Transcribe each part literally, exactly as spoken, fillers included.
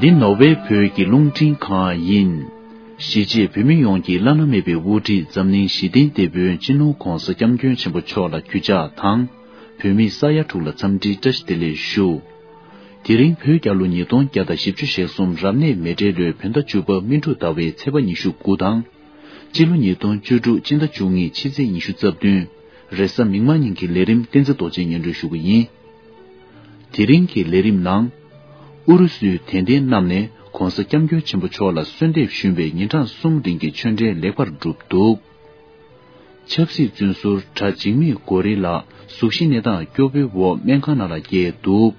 འདི་ནོར་ཝེ་བོད་ཀྱི་རླུང་འཕྲིན་ཁང་ཡིན། གཞིས་བྱེས་བོད་མི་ཡོངས་ཀྱི་བླ་ན་མེད་པའི་དབུ་ཁྲིད་འཛམ་གླིང་ཞི་བདེའི་དེད་དཔོན་སྤྱི་ནོར་༧གོང་ས་༧སྐྱབས་མགོན་ཆེན་པོ་མཆོག་ལ་གུས་ཕྱག་དང་། བོད་མིའི་ས་ཡ་དྲུག་ལ་འཚམས་འདྲིའི་བཀྲ་ཤིས་བདེ་ལེགས་ཞུ། དེ་རིང་བོད་རྒྱལ་ལོ་ཉིས་སྟོང་བརྒྱ་དང་བཞི་བཅུ་ཞེ་གསུམ་རབ་གནས་མེ་སྤྲེལ་ལོའི་བོད་ཟླ་བཅུ་པ་སྨིན་དྲུག་ཟླ་བའི་ཚེས་པ་ཉི་ཤུ་དགུ་དང་། སྤྱི་ལོ་ཉིས་སྟོང་བཅུ་དྲུག་སྤྱི་ཟླ་བཅུ་གཉིས་ཕྱི་ཚེས་ཉི་ཤུ་རྩ་བདུན། རེས་གཟའ་མིག་དམར་ཉིན་གྱི་ལས་རིམ་བསྟན་འཛིན་རྡོ་རྗེས་སྙན་སྒྲོན་ཞུ་གི་ཡིན། དེ་རིང་གི་ལས་རིམ་ནང་། ཨུ་རུ་སུའི་དད་ལྡན་རྣམས་ནས་༧གོང་ས་༧སྐྱབས་མགོན་ཆེན་པོ་མཆོག་ལ་གསོལ་འདེབས་ཞུས་པའི་ཉིན་གྲངས་གསུམ་རིང་གི་ཆོས་འབྲེལ་ལེགས་པར་གྲུབ་འདུག། ཆབ་སྲིད་བཙོན་ཟུར་གྲྭ་འཇིགས་མེད་གོ་རི་ལགས་གཟུགས་གཞི་གནས་སྟངས་སྐྱོ་པོའི་འོག་སྨན་ཁང་ནང་ལ་བསྐྱལ་འདུག།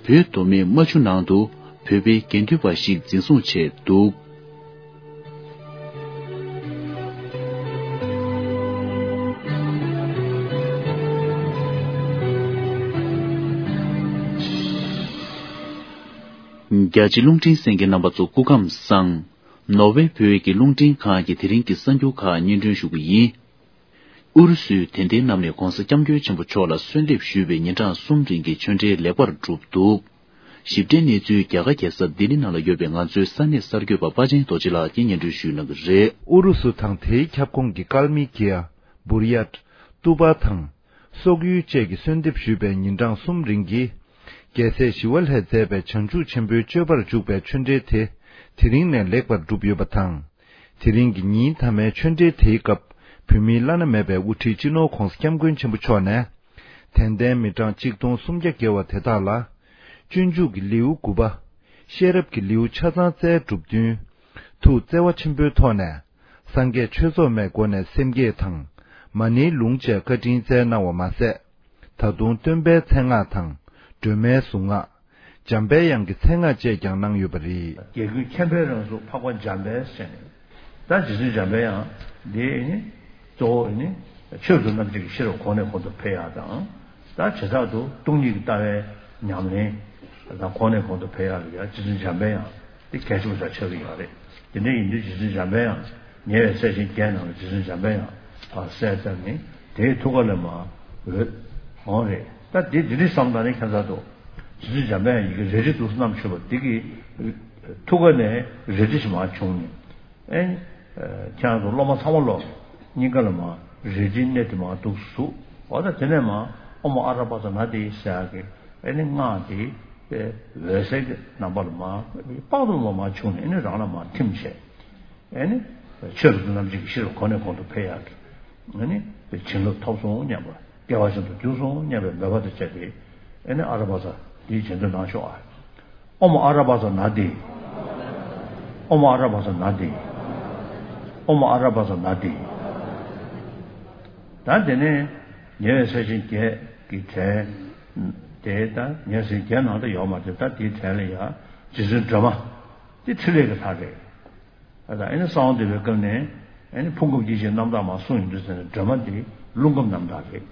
བོད་མདོ་སྨད་རྨ་ཆུ་ནང་དུ་བོད་པའི་དགེ་འདུན་པ་ཞིག་འཛིན་བཟུང་བྱས་འདུག། རྒྱ་ཆེ་རླུང་འཕྲིན་གསན་མཁན་རྣམ་པ་ཚོ་སྐུ་ཁམས་བཟང་། ནོར་ཝེ་བོད་ཀྱི་རླུང་འཕྲིན་ཁང་གི་དེ་རིང་གི་གསར་འགྱུར་ཁག་སྙན་སྒྲོན་ཞུ་གི་ཡིན། ཨུ་རུ་སུའི་དད་ལྡན་རྣམས་ནས་༧གོང་ས་༧སྐྱབས་མགོན་ཆེན་པོ་མཆོག་ལ་གསོལ་འདེབས་ཞུས་པའི་ཉིན་གྲངས་གསུམ་རིང་གི་ཆོས་འབྲེལ་ལེགས་པར་གྲུབ་འདུག། ཞིབ་ཕྲའི་གནས་ཚུལ་རྒྱ་གར་རྒྱལ་ས་ལྡི་ལི་ནང་ལ་ཡོད་པའི་ང་ཚོའི་ས་གནས་གསར་འགོད་པ་པ་ཆེན་རྡོ་རྗེ་ལགས་ཀྱིས་སྙན་སྒྲོན་ཞུས་གནང་གི་རེད། ཨུ་རུ་སུ་དང་དེའི་ཁྱབ་ཁོངས་ཀྱི་ཀལ་མི་ཀི་ཡ། བུར་ཡཊ། ཏུ་པ་དང་། སོག་ཡུལ་བཅས་ཀྱིས་གསོལ་འདེབས་ཞུས་པའི་ཉིན་གྲངས་གསུམ་རིང་གི་རྒྱལ་སྲས་ཞི་བ་ལྷས་མཛད་པའི་བྱང་ཆུབ་ཆེན་པོའི་སྤྱོད་པར་འཇུག་པའི་ཆོས་འབྲེལ་དེ་དེ་རིང་ནས་ལེགས་པར་གྲུབ་ཡོད་པ་དང་། དེ་རིང་གི་ཉིན་མཐའ་མའི་ཆོས་འབྲེལ་དེའི་སྐབས་བོད་མིའི་བླ་ན་མེད་པའི་དབུ་ཁྲིད་སྤྱི་ནོར་༧གོང་ས་༧སྐྱབས་མགོན་ཆེན་པོ་མཆོག་ནས། དད་ལྡན་མི་གྲངས་གཅིག་སྟོང་སུམ་བརྒྱ་བརྒལ་བ་དེ་དག་ལ། སྤྱོད་འཇུག་གི་ལེའུ་དགུ་པ། ཤེས་རབ་ཀྱི་ལེའུ་ཆ་ཚང་བསྩལ་གྲུབ་བསྟུན། ཐུགས་བརྩེ་བ་ཆེན་པོའི་ཐོག་ནས། སངས་རྒྱས་ཆོས་ཚོགས་མའི་སྒོ་ནས་སེམས་བསྐྱེད་དང་། མ་ཎིའི་ལུང་བཅས་བཀའ་དྲིན་སྩལ་གནང་བ་མ་ཟད། ད་དུང་སྟོན་པའི་མཚན་སྔགས་དང་། སྒྲོལ་མའི་གཟུངས་སྔགས། འཇམ་པའི་དབྱངས་ཀྱི་མཚན་སྔགས་བཅས་ཀྱང་གནང་ཡོད་པ་རེད། རྒྱལ་ཀུན་མཁྱེན་པའི་རང་གཟུགས་འཕགས་པ་འཇམ་དཔལ་ཟེར་ནས། ད་རྗེ་བཙུན་འཇམ་པའི་དབྱངས་འདི་ནི་གཙོ་བོ་ནི་ཆོས་སུ་རྣམ་འབྱེད་ཀྱི་ཤེས་རབ་གོང་ནས་གོང་དུ་འཕེལ་ཡག་དང་། ད་བྱེ་བྲག་ཏུ་སྟོང་ཉིད་ཀྱི་ལྟ་བའི་ཉམས་ལེན་དང་གོང་ནས་གོང་དུ་འཕེལ་ཡག་ལ་ཡང་རྗེ་བཙུན་འཇམ་པའི་དབྱངས་འདི་གལ་ཆེན་པོ་ཆགས་ཆགས་ཀྱི་ཡོད་རེད། དེ་འདྲ་ཡིན་དུས་རྗེ་བཙུན་འཇམ་པའི་དབྱངས་ཉེ་བའི་སྲས་ཆེན་བརྒྱད་ནང་ལ་རྗེ་བཙུན་འཇམ་པའི་དབྱངས་ཕར་གསལ་བཏབ་ནས་དེའི་ཐུགས་ཀ་ལ་མར་འོད་འོང་རེད། ད་འདི་འདི་འདྲའི་བསམ་བློ་ནི་ཁྱད་མཚར་འདུག། རྗེ་བཙུན་འཇམ་པའི་དབྱངས་ཡི་གེ་རལ་གྲི་འདུག་སེ་བསྣམས་ཡོད་པ་འདི་གི་ཐུགས་ཀ་ནས་རལ་གྲི་ཞིག་མར་བྱུང་ནས། ཨེ། ཁྱེད་རང་ཚོ་སློབ་མ་ཚང་མ་ལོ། སྙིང་ག་ལ་མར་རལ་གྲིའི་སྣེ་དེ་མར་འདུག་ཟུག། འོ་ད་དེ་ནས་མར་ཨོཾ་ཨ་ར་པ་ཙ་ན་དྷཱིཿ་ཟེར་ཡག་གི་ཨེ་ནི་སྔགས་དེ། ཨེ། འོད་ཟེར་གྱི་རྣམ་པ་ལ་མར་དཔག་ཏུ་མེད་པ་མར་བྱུང་ནས་ཨེ་ནི་རང་ལ་མར་ཐིམ་བྱས། ཨེ་ནི། ཆོས་སུ་རྣམ་འབྱེད་ཀྱི་ཤེས་རབ་གོང་ནས་གོང་དུ་འཕེལ་ཡག་གི། ཨེ་ནི། བྱིན་རླབས་ཐོབ་སོང་སྙམ་པ། སྐལ་བ་ཆེན་པོ་འགྱུར་སོང་སྙམ་པའི་མོས་པ་དང་བཅས་ཏེ། ཨེ་ནི་ཨ་ར་པ་ཙ་འདིའི་རྗེས་ཟློས་གནང་ཤོག་ཨ། ཨོཾ་ཨ་ར་པ་ཙ་ན་དྷཱིཿ། ཨོཾ་ཨ་ར་པ་ཙ་ན་དྷཱིཿ། ཨོཾ་ཨ་ར་པ་ཙ་ན་དྷཱིཿ། ད་དེ་ནས་ཉེ་བའི་སྲས་ཆེན་བརྒྱད་ཀྱི་གྲས་དེ། ད་ཉེ་བའི་སྲས་ཆེན་བརྒྱད་ནང་དུ་ཡོད་མ་རེད། ད་དེའི་གྲས་ལ་ཡང་རྗེ་བཙུན་སྒྲོལ་མ་དེ་ཕྲིན་ལས་ཀྱི་ལྷ་རེད། ཨ། ད་ཨེ་ནི་གསང་བ་འདུས་པའི་སྐབས་ནས་ཨེ་ནི་ཕུང་ཁམས་སྐྱེ་མཆེད་རྣམ་དག་མར་གསུངས་ཡོང་དུས་ཙམ་ནས་སྒྲོལ་མ་འདི་རླུང་ཁམས་རྣམ་དག་རེད།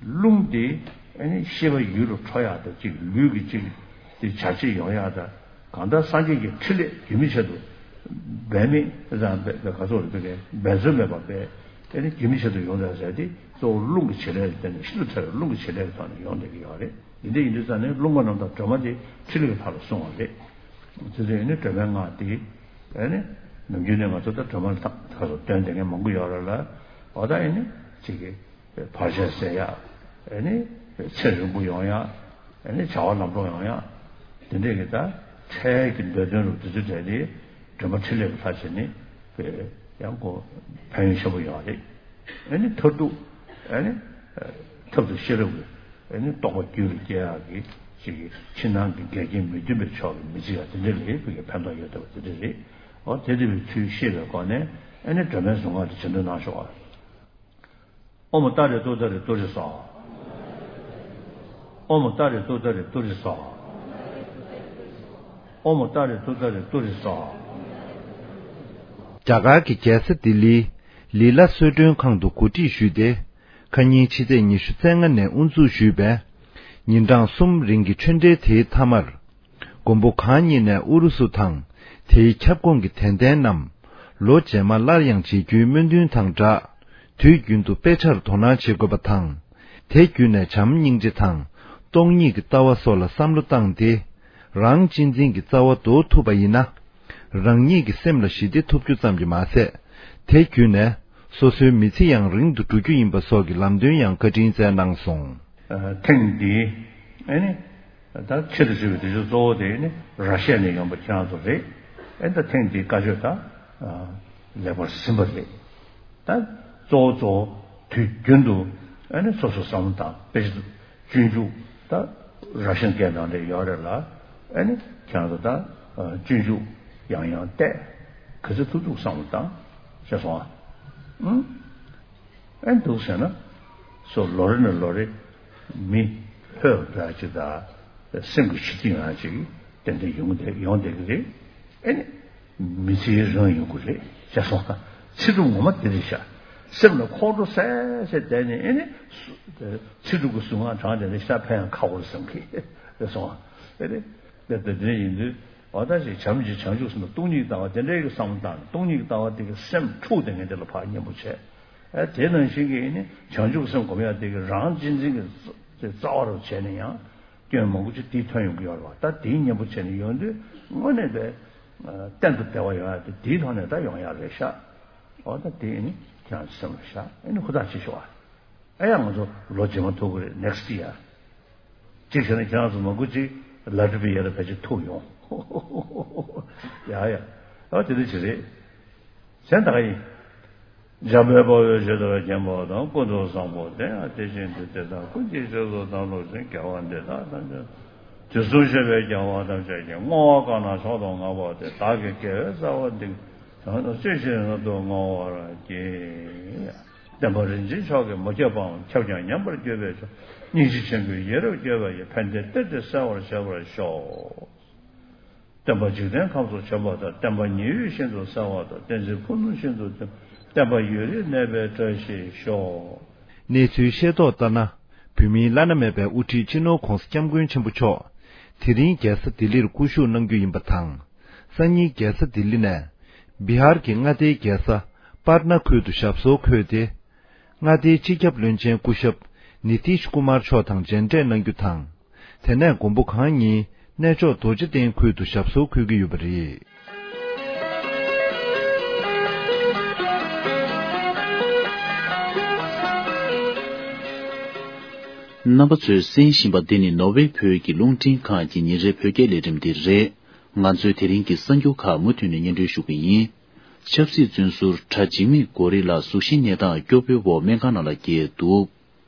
རླུང་དེ་ཨེ་ནི་ཤེས་པ་ཡུལ་ལ་འཕྲོ་ཡག་དང་གཅིག། ལུས་ཀྱི་གཅིག་དེ་བྱ་བྱེད་ཡོང་ཡག་དང་། གང་ལྟར་སངས་རྒྱས་ཀྱི་ཕྲིན་ལས་རྒྱུན་མི་ཆད་དུ་འབད་མེད་དང་། འབད་ག་ཚོད་རེད། འབད་རྩོལ་མེད་པར་འབད། ཨེ་ནི་རྒྱུན་མི་ཆད་དུ་ཡོང་བསྡད་ཟེར་དེ་གཙོ་བོ་རླུང་གི་བྱེད་ལས་ལ་བརྟེན་ནས། ཤིན་ཏུ་ཕྲ་བའི་རླུང་གི་བྱེད་ལས་ཀྱི་ཐོག་ནས་ཡོང་བསྡད་ཀྱི་ཡོད་རེད། འདི་འདྲ་ཡིན་དུས་ཙང་ནས་རླུང་ཁམས་རྣམ་དག་སྒྲོལ་མ་དེ་ཕྲིན་ལས་ཀྱི་ལྷ་ལ་གསུངས་པ་རེད། དེ་ཚོ་ཡིན་ནི་སྒྲོལ་མའི་སྔགས་དེ། ཨེ་ནི། ནམ་རྒྱུན་ནས་ང་ཚོ་ད་སྒྲོལ་མ་ལ་ད་ག་ཚོད་འདོན་བསྡད་མཁན་མང་པོ་ཡོད་རེད་ལ། འོ་ད་ཨེ་ནི་གཅིག་གི་བར་ཆད་སེལ་ཡག། ཨེ་ནི་ཚེ་རིང་པོ་ཡོང་ཡག། ཨེ་ནི་བྱ་བ་ལམ་འགྲོ་ཡོང་ཡག། དེ་འདྲས་ཀྱི་ད་འཕྲལ་གྱི་འདོད་དོན་རུ་དེ་ཚོ་གྲས་དེ་སྒྲོལ་མ་ཕྲིན་ལས་ཀྱི་ལྷ་བྱས་ནས་ཡང་ཁོ་ཕན་ཡོན་ཆེན་པོ་ཡོད་རེད། ཨེ་ནི་མཐར་ཐུག་ཨེ་ནི་ཐབས་དང་ཤེས་རབ་ཀྱི་ཨེ་ནི་རྟོགས་པ་རྒྱུད་ལ་སྐྱེ་ཡག་གི་ཅིག་གི་ཕྱི་ནང་གི་འགལ་རྐྱེན་མི་མཐུན་པའི་ཕྱོགས་ཀྱི་མི་བྱེད་ཡག་དེ་འདྲ་ལ་ཕ་གི་ཕན་ཐོགས་ཡོད་བསྡད་པ་དེ་འདྲ་རེད། འོ་དེ་འདྲ་བའི་ཚུལ་ཤེས་པའི་སྒོ་ནས་ཨེ་ནི་སྒྲོལ་མའི་གཟུངས་སྔགས་དེ་རྗེས་ཟློས་གནང་ཤོག་ཨ། ཨོཾ་ཏཱ་རེ་ཏུཏྟཱ་རེ་ཏུ་རེ་སྭཱ་ཧཱ། ཨོཾ་ཏཱ་རེ་ཏུཏྟཱ་རེ་ཏུ་རེ་སྭཱ་ཧཱ། ཨོཾ་ཏཱ་རེ་ཏུཏྟཱ་རེ་ཏུ་རེ་སྭཱ་ཧཱ། རྒྱ་གར་གྱི་རྒྱལ་ས་ལྡི་ལིའི་ལི་ལ་གསོལ་མགྲོན་ཁང་དུ་གོ་སྒྲིག་ཞུས་ཏེ། ཁ་ཉིན་ཕྱི་ཚེས་ཉི་ཤུ་རྩ་ལྔ་ནས་དབུ་འཛུགས་ཞུས་པའི་ཉིན་གྲངས་གསུམ་རིང་གི་ཆོས་འབྲེལ་དེའི་མཐའ་མར། མགོན་པོ་གང་ཉིད་ནས་ཨུ་རུ་སུ་དང་དེའི་ཁྱབ་ཁོངས་ཀྱི་དད་ལྡན་རྣམས་ལོ་རྗེས་མ་སླར་ཡང་མཇལ་རྒྱུའི་སྨོན་འདུན་དང་སྦྲགས། དུས་རྒྱུན་དུ་དཔེ་ཆར་དོ་སྣང་བྱེད་དགོས་པ་དང་། དེ་བརྒྱུད་ནས་བྱམས་སྙིང་རྗེ་དང་སྟོང་ཉིད་ཀྱི་ལྟ་བ་སོགས་ལ་བསམ་བློ་བཏང་སྟེ། རང་གཅེས་འཛིན་གྱི་རྩ་བ་འདོར་ཐུབ་པ་ཡིན་ན། རང་ཉིད་ཀྱི་སེམས་ལ་ཞི་བདེ་ཐོབ་རྒྱུ་ཙམ་གྱིས་མ་ཟད། དེ་བརྒྱུད་ནས་སོ་སོའི་མི་ཚེ་ཡང་རིང་དུ་འགྲོ་རྒྱུ་ཡིན་པ་སོགས་ཀྱི་ལམ་སྟོན་ཡང་བཀའ་དྲིན་སྩལ་གནང་སོང་། ཐེངས་འདིའི་ཨེ་ནི་ད་ཆེད་དུ་བཟོས་པའི་དུས་ཚོད་གཙོ་བོ་དེ་ནི་ར་ཤི་ཡ་ནས་ཡོང་པ་ཁྱེད་རང་ཚོ་རེད། ཨེ་ད་ཐེངས་འདིའི་བཀའ་ཆོས་ད་ལེགས་པར་ཟིན་པ་རེད། ད་གཙོ་བོ་གཙོ་བོ་དུས་རྒྱུན་དུ་ཨ་ནི་སོ་སོ་བསམ་བློ་བཏང་། དཔེ་ཆ་སྤྱོད་འཇུག་ད་ར་ཤན་སྐད་ནང་ལ་ཡོད་རེད་ལ། ཨ་ནི་ཁྱེད་རང་ཚོ་ད་སྤྱོད་འཇུག་ཡང་ཡང་བལྟས། ག་ཚོད་ཐུབ་ཐུབ་བསམ་བློ་བཏང་། ཤེས་སོང་ཨ། ཨ་ནི་འདུག་ཟེར་ན་སོ་ལོ་རེ་ནས་ལོ་རེ་མི་ལྷོད་འགྲོ་ཡ་ཅིག་དང་སེམས་ཀྱི་ཞི་བདེ་ཡོང་ཡ་ཅིག་ཏན་ཏན་ཡོང་བསྡད་ཡོང་བསྡད་ཀྱི་རེད། ཨ་ནི། མི་ཚེའི་རང་ཡོང་གི་རེད། ཤེས་སོང་ཨ། ཚིག་གྲུབ་ངོ་མ་དེ་རེད་ཤག་སེམས་ལ་ཁོང་ཁྲོ་ཟ་ཟ་བསྡད་ནས་ཨེ་ནི། ཚིག་གྲུབ་ཀྱི་གཟུངས་སྔགས་བགྲངས་བསྡད་ནས་ཤ་ཕན་ཡང་ཁག་པོ་རེད་བསམ་གི་རེད་སོང་ཨ། ཨེ་རེད། དེ་དེ་འདྲ་ཡིན་དུས་འོ་ད་ཅིག་བྱམས་ཀྱི་བྱང་ཆུབ་སེམས་དང་སྟོང་ཉིད་ཀྱི་ལྟ་བ་དེ་འདྲའི་གི་བསམ་བློ་བཏང་ནས་སྟོང་ཉིད་ཀྱི་ལྟ་བ་དེ་གི་སེམས་འཁྲུགས་བསྡད་མཁན་དེ་ལ་ཕར་མཉེས་པོ་བྱས། ཨེ་དེ་ནང་བཞིན་གྱི་ཨེ་ནི་བྱང་ཆུབ་སེམས་སྒོམ་ཡ་དེ་གི་རང་གཅེས་འཛིན་གྱི་རྩ་བ་རུ་བྱས་ནས་ཡང་། སྐྱོན་མང་པོ་ཅིག་དེའི་ཐོན་ཡོང་གི་ཡོད་རེད་བ། ད་དེའི་གཉེན་པོ་བྱས་ནས་ཡོང་དུས་དངོས་གནས་དེ་གཏན་དུ་བདེ་བ་ཡོང་ཡ་དེ་དེའི་ཐོག་ནས་ད་ཡོང་ཡ་རེད་ཤག་འོ་ད་དེ་ཨེ་ནི་ཁྱེད་རང་ཚོ་སེམས་ལ་བཞག་ཨེ་ནི་ཧུར་ཐག་བྱེད་ཤོག་ཨ། ཨེ་ཡ་ང་ཚོ་ལོ་རྗེས་མ་ཐུག་གི་རེད་ནེག་སི་ཊི་ཡར། གཅིག་བྱས་ན་ཁྱེད་རང་ཚོ་མང་པོ་ཅིག་ལ་ཊི་བི་ཡར་ཕལ་ཆེར་ཐུག་ཡོང་། ཡ་ཡ། ཨ་དེ་འདྲ་ཅིག་རེད། གཞན་དག་ཡིན། འཇམ་དཔལ་དཔའ་བོས་ཇི་ལྟར་མཁྱེན་པ་དང་། ཀུན་ཏུ་བཟང་པོ་དེ་ཡང་དེ་བཞིན་དུ། དེ་དག་ཀུན་གྱི་རྗེས་སུ་བདག་སློབ་ཅིང་། དགེ་བ་འདི་དག་ཐམས་ཅད་དུས་གསུམ་གཤེགས་པའི་རྒྱལ་བ་ཐམས་ཅད་ཀྱིས། བསྔོ་བ་གང་ལ་མཆོག་ཏུ་བསྔགས་པ་དེ། བདག་གི་དགེ་བའི་རྩ་བ་འདི་ཡང་དག་ཅི་ཞིག་ན་དུ་བསྔོ་བར་བགྱི། བསྟན་པ་རིན་ཆེན་མཆོག་གི་མུ་ཁྱབ་པའམ། ཁྱབ་ཀྱང་ཉམས་པར་གྱུར་པའི་མཆོག་སྙིང་རྗེ་ཆེན་པོའི་ཡིད་རབ་བསྐྱོད་པ་ཡི། ཕན་བདེའི་གཏེར་དེ་གསལ་བར་བྱེད་པར་ཤོག་བསྟན་པ་འཇིག་རྟེན་ཁམས་སུ་བྱོན་པ་དང་། བསྟན་པ་ཉི་འོད་བཞིན་དུ་གསལ་བ་དང་། བསྟན་འཛིན་ཕུབ་རྡུལ་བཞིན་དུ་ཐིམ། བསྟན་པ་ཡུན་རིང་གནས་པའི་བཀྲ་ཤིས་ཤོག་གནས་ཚུལ་ཤེས་རྟོགས་ལྟར་ན། བོད་མིའི་བླ་ན་མེད་པའི་དབུ་ཁྲིད་སྤྱི་ནོར་༧གོང་ས་༧སྐྱབས་མགོན་ཆེན་པོ་མཆོག་དེ་རིང་རྒྱལ་ས་ལྡི་ལིར་སྐུ་བཞུགས་གནང་རྒྱུ་ཡིན་པ་དང་། སང་ཉིན་རྒྱལ་ས་ལྡི་ལི་ནས། བི་ཧར་གྱི་མངའ་སྡེའི་རྒྱལ་ས་པར་ན་ཁུལ་དུ་ཞབས་སོར་འཁོད་དེ། མངའ་སྡེའི་སྤྱི་ཁྱབ་བློན་ཆེན་སྐུ་ཞབས་ནི་ཏིཤ་ཀུ་མར་མཆོག་དང་མཇལ་འཕྲད་གནང་རྒྱུ་དང་། དེ་ནས་མགོན་པོ་གང་ཉིད་གནས་མཆོག་རྡོ་རྗེ་གདན་ཁུལ་དུ་ཞབས་སོར་འཁོད་ཀྱི་ཡོད་པ་རེད། རྣམ་པ་ཚོས་གསན་བཞིན་པ་འདི་ནི་ནོར་ཝེ་བོད་ཀྱི་རླུང་འཕྲིན་ཁང་གི་ཉིན་རེའི་བོད་སྐད་ལས་རིམ་དེ་རེད། ང་ཚོའི་དེ་རིང་གི་གསར་འགྱུར་ཁག་མུ་མཐུད་ནས་སྙན་སྒྲོན་ཞུ་གི་ཡིན། ཆབ་སྲིད་བཙོན་ཟུར་གྲྭ་འཇིགས་མེད་གོ་རི་ལགས་གཟུགས་གཞིའི་གནས་སྟངས་སྐྱོ་པོའི་འོག་སྨན་ཁང་ནང་ལ་འཁྱེར་འདུག་